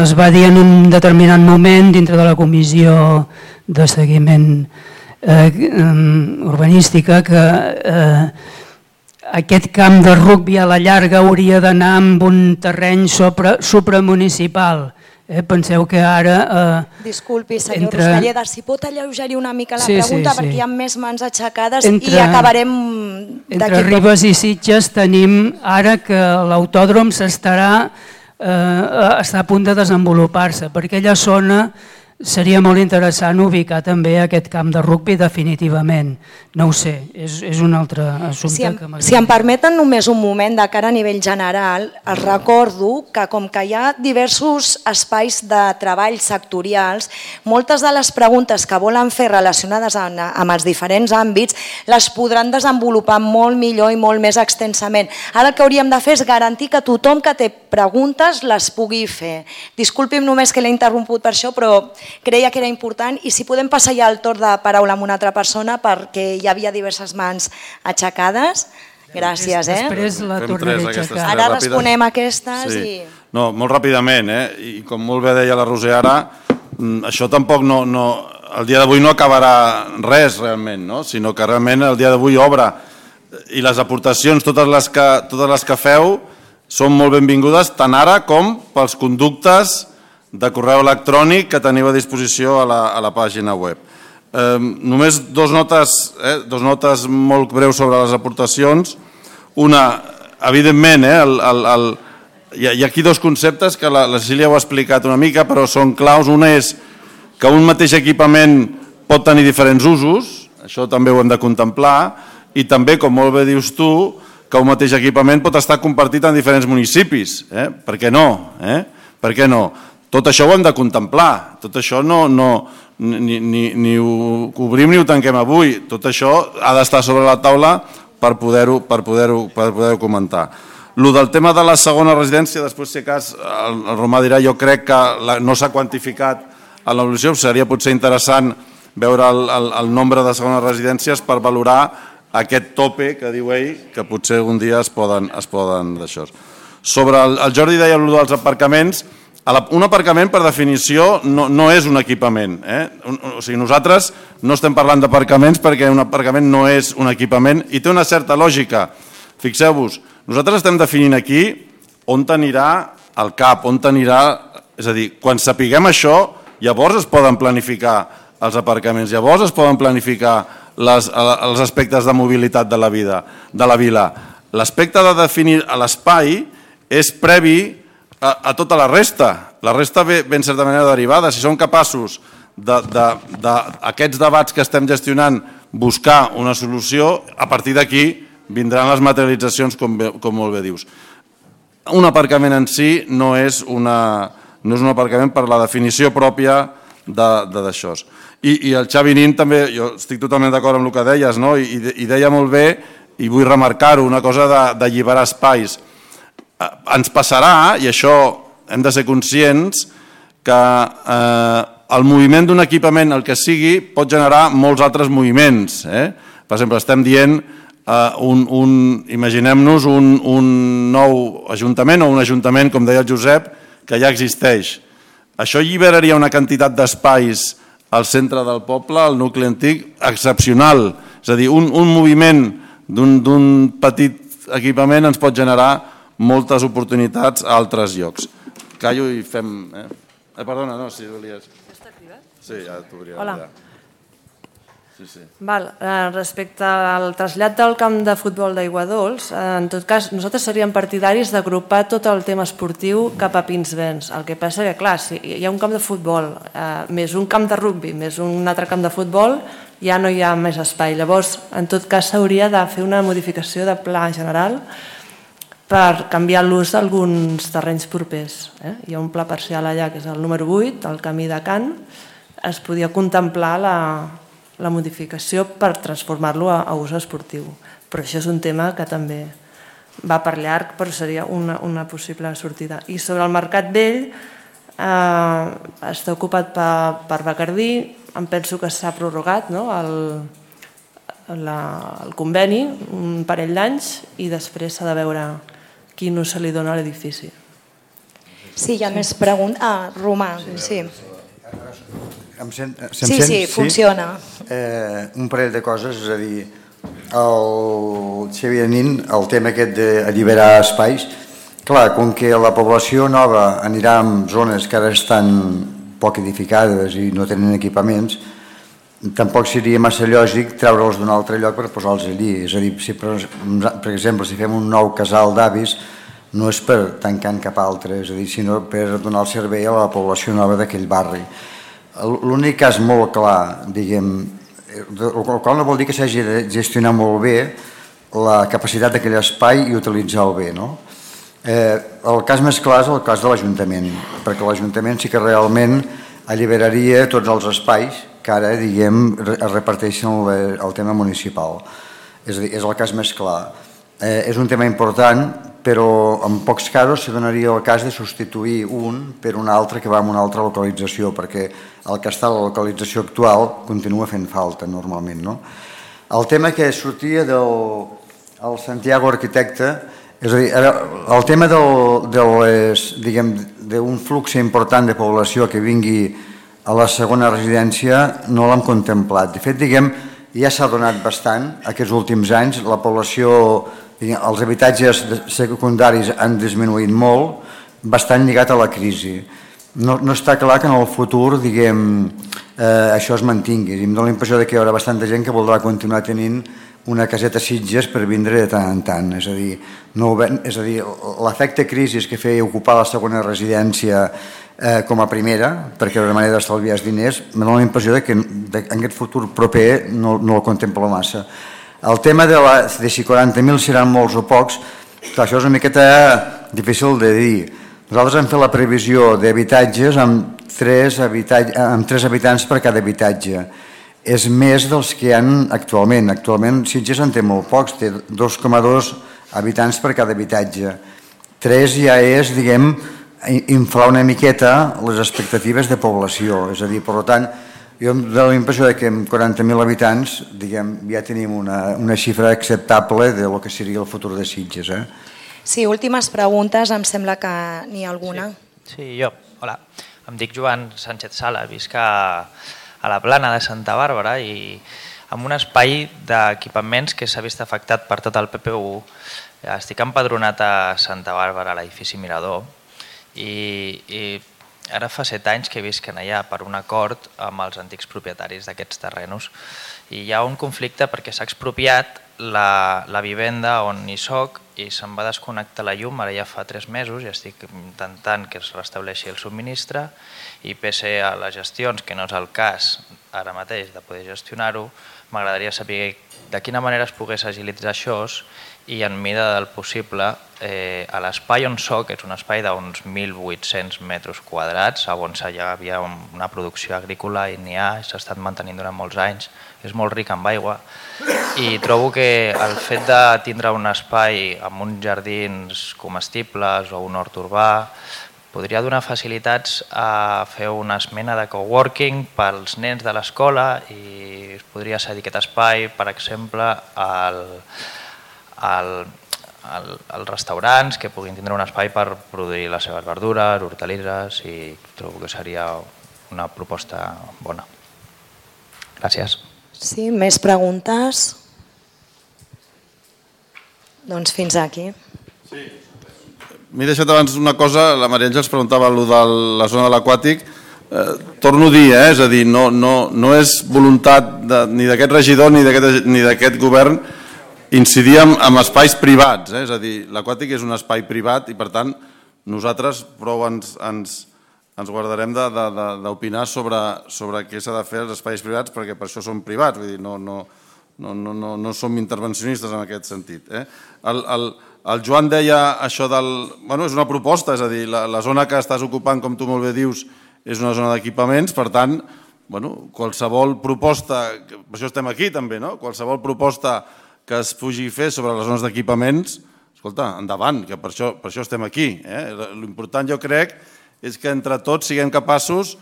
es va dir en un determinat moment dintre de la comissió de seguiment urbanística que aquest camp de rugbi a la llarga hauria d'anar amb un terreny supramunicipal. Penseu que ara... Disculpi, senyor Ruscalleda, si pot alleugerir una mica la pregunta perquè hi ha més mans aixecades i acabarem... Entre Ribes i Sitges tenim ara que l'autòdrom està a punt de desenvolupar-se. Per aquella zona seria molt interessant ubicar també aquest camp de rugbi definitivament. No ho sé, és un altre assumpte que m'agrada. Si em permeten només un moment de cara a nivell general, els recordo que com que hi ha diversos espais de treball sectorials, moltes de les preguntes que volen fer relacionades amb els diferents àmbits les podran desenvolupar molt millor i molt més extensament. Ara el que hauríem de fer és garantir que tothom que té preguntes les pugui fer. Disculpi'm només que l'he interromput per això, però creia que era important i si podem passar ja el torn de paraula amb una altra persona perquè hi havia diverses mans aixecades. Gràcies. Després la tornaré a aixecar. Ara responem a aquestes i... No, molt ràpidament, i com molt bé deia la Roser ara, això tampoc el dia d'avui no acabarà res realment, sinó que realment el dia d'avui obre i les aportacions, totes les que feu, són molt benvingudes tant ara com pels conductes de correu electrònic que teniu a disposició a la pàgina web. Només dos notes molt breus sobre les aportacions. Una, evidentment, hi ha aquí dos conceptes que la Cecília ho ha explicat una mica, però són claus. Una és que un mateix equipament pot tenir diferents usos, això també ho hem de contemplar, i també, com molt bé dius tu, que un mateix equipament pot estar compartit en diferents municipis. Per què no? Per què no? Tot això ho hem de contemplar, tot això no ni ho obrim ni ho tanquem avui. Tot això ha d'estar sobre la taula per poder-ho comentar. El del tema de la segona residència, després si cas el Romà dirà, jo crec que no s'ha quantificat en l'evolució, seria potser interessant veure el nombre de segones residències per valorar aquest tope que diu ell, que potser un dia es poden d'això. Sobre el Jordi deia el dels aparcaments, un aparcament per definició no és un equipament. O sigui, nosaltres no estem parlant d'aparcaments perquè un aparcament no és un equipament i té una certa lògica. Fixeu-vos, nosaltres estem definint aquí on anirà el CAP, on anirà... És a dir, quan sapiguem això, llavors es poden planificar els aparcaments, llavors es poden planificar els aspectes de mobilitat de la vila. L'aspecte de definir l'espai és previ a tota la resta. La resta ve en certa manera derivada. Si som capaços d'aquests debats que estem gestionant buscar una solució, a partir d'aquí vindran les materialitzacions, com molt bé dius. Un aparcament en si no és un aparcament per la definició pròpia d'això. I el Xavi Nin també, jo estic totalment d'acord amb el que deies, i deia molt bé, i vull remarcar-ho, una cosa d'alliberar espais. Ens passarà, i això hem de ser conscients, que el moviment d'un equipament, el que sigui, pot generar molts altres moviments. Per exemple, estem dient, imaginem-nos un nou ajuntament o un ajuntament, com deia el Josep, que ja existeix. Això alliberaria una quantitat d'espais al centre del poble, al nucli antic, excepcional. És a dir, un moviment d'un petit equipament ens pot generar moltes oportunitats a altres llocs. Callo i fem... Perdona, no, si volies... Està activat? Sí, ja t'obria. Hola. Sí. Respecte al trasllat del camp de futbol d'Aiguadols, en tot cas, nosaltres seríem partidaris d'agrupar tot el tema esportiu cap a Pinsbens. El que passa que, clar, si hi ha un camp de futbol, més un camp de rugbi, més un altre camp de futbol, ja no hi ha més espai. Llavors, en tot cas, s'hauria de fer una modificació de pla general per canviar l'ús d'alguns terrenys propers. Hi ha un pla parcial allà, que és el número 8, el camí de Can. Es podia contemplar la modificació per transformar-lo a ús esportiu. Però això és un tema que també va per llarg, però seria una possible sortida. I sobre el Mercat Vell, està ocupat per Bacardí, em penso que s'ha prorrogat el conveni un parell d'anys i després s'ha de veure quin ús se li dona a l'edifici. Sí, hi ha més preguntes. Romà, sí. Sí, funciona. Un parell de coses, és a dir, el Xavier Nin, el tema aquest d'alliberar espais, clar, com que la població nova anirà en zones que ara estan poc edificades i no tenen equipaments, tampoc seria massa lògic treure'ls d'un altre lloc per posar-los allí. És a dir, si per exemple, si fem un nou casal d'avis, no és per tancar cap altre, és a dir, sinó per donar el servei a la població nova d'aquell barri. L'únic cas molt clar, diguem, el qual no vol dir que s'hagi de gestionar molt bé la capacitat d'aquell espai i utilitzar-lo bé, no? El cas més clar és el cas de l'Ajuntament, perquè l'Ajuntament sí que realment alliberaria tots els espais que ara, diguem, es reparteixen el tema municipal. És a dir, és el cas més clar. És un tema important, però en pocs casos se donaria el cas de substituir un per un altre que va en una altra localització, perquè el que està a la localització actual continua fent falta normalment. El tema que sortia del Santiago Arquitecte, és a dir, el tema d'un flux important de població que vingui a la segona residència no l'hem contemplat. De fet, ja s'ha donat bastant aquests últims anys, la població, els habitatges secundaris han disminuït molt, bastant lligat a la crisi. No està clar que en el futur, això es mantingui. Em dóna la impressió que hi haurà bastanta gent que voldrà continuar tenint una caseta Sitges per vindre de tant en tant. És a dir, l'efecte crisi que feia ocupar la segona residència com a primera, perquè era una manera d'estalviar els diners, em dóna la impressió que en aquest futur proper no el contemplo massa. El tema de si 40.000 seran molts o pocs, això és una miqueta difícil de dir. Nosaltres hem fet la previsió d'habitatges amb 3 habitants per cada habitatge. És més dels que hi ha actualment. Actualment Sitges en té molt pocs, té 2,2 habitants per cada habitatge. 3 ja és, diguem, inflar una miqueta les expectatives de població. És a dir, per tant, jo em dono la impressió que amb 40.000 habitants, diguem, ja tenim una xifra acceptable de lo que seria el futur de Sitges. Sí, últimes preguntes, em sembla que n'hi ha alguna. Sí, jo. Hola. Em dic Joan Sánchez Sala, visc a la Plana de Santa Bàrbara i amb un espai d'equipaments que s'ha vist afectat per tot el PPU. Estic empadronat a Santa Bàrbara, a l'edifici Mirador, i ara fa 7 anys que visquen allà per un acord amb els antics propietaris d'aquests terrenos. I hi ha un conflicte perquè s'ha expropiat la vivenda on hi soc i se'n va desconnectar la llum, ara ja fa 3 mesos i estic intentant que es restableixi el subministre i pese a les gestions, que no és el cas ara mateix de poder gestionar-ho, m'agradaria saber de quina manera es pogués agilitzar això i en mida del possible a l'espai on soc, que és un espai d'uns 1.800 metres quadrats, on ja havia una producció agrícola i n'hi ha, s'ha estat mantenint durant molts anys, és molt ric amb aigua i trobo que el fet de tindre un espai amb uns jardins comestibles o un hort urbà podria donar facilitats a fer una esmena de coworking pels nens de l'escola i es podria cedir aquest espai, per exemple, als restaurants que puguin tindre un espai per produir les seves verdures, hortalisses i trobo que seria una proposta bona. Gràcies. Sí, més preguntes? Doncs fins aquí. M'he deixat abans una cosa, la Maria Àngels preguntava allò de la zona de l'aquàtic, torno a dir, és a dir, no és voluntat ni d'aquest regidor ni d'aquest govern incidir en espais privats, és a dir, l'aquàtic és un espai privat i per tant nosaltres prou ens guardarem d'opinar sobre què s'ha de fer als espais privats perquè per això són privats, vull dir, no som intervencionistes en aquest sentit. El Joan deia això del... És una proposta, és a dir, la zona que estàs ocupant, com tu molt bé dius, és una zona d'equipaments, per tant, qualsevol proposta, per això estem aquí també, qualsevol proposta que es pugui fer sobre les zones d'equipaments, escolta, endavant, que per això estem aquí. L'important jo crec és que entre tots siguem capaços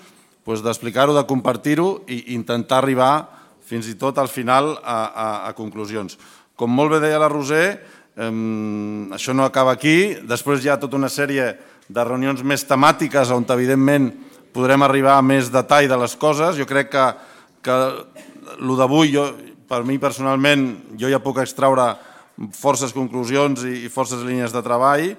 d'explicar-ho, de compartir-ho i intentar arribar fins i tot al final a conclusions. Com molt bé deia la Roser, això no acaba aquí, després hi ha tota una sèrie de reunions més temàtiques on evidentment podrem arribar a més detall de les coses. Jo crec que el d'avui, per mi personalment, jo ja puc extraure forces conclusions i forces línies de treball.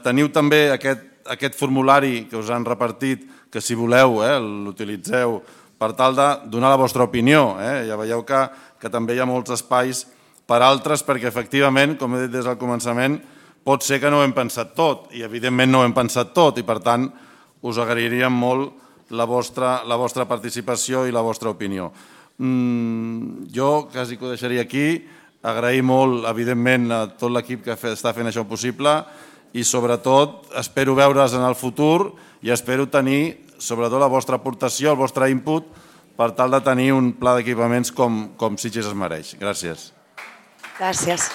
Teniu també aquest formulari que us han repartit, que si voleu l'utilitzeu per tal de donar la vostra opinió. Ja veieu que també hi ha molts espais per altres, perquè efectivament, com he dit des del començament, pot ser que no ho hem pensat tot, i evidentment no ho hem pensat tot, i per tant us agrairíem molt la vostra participació i la vostra opinió. Jo quasi que ho deixaria aquí, agrair molt, evidentment, a tot l'equip que està fent això possible, i sobretot espero veure's en el futur i espero tenir sobretot la vostra aportació, el vostre input, per tal de tenir un pla d'equipaments com Sitges es mereix. Gràcies. Gràcies.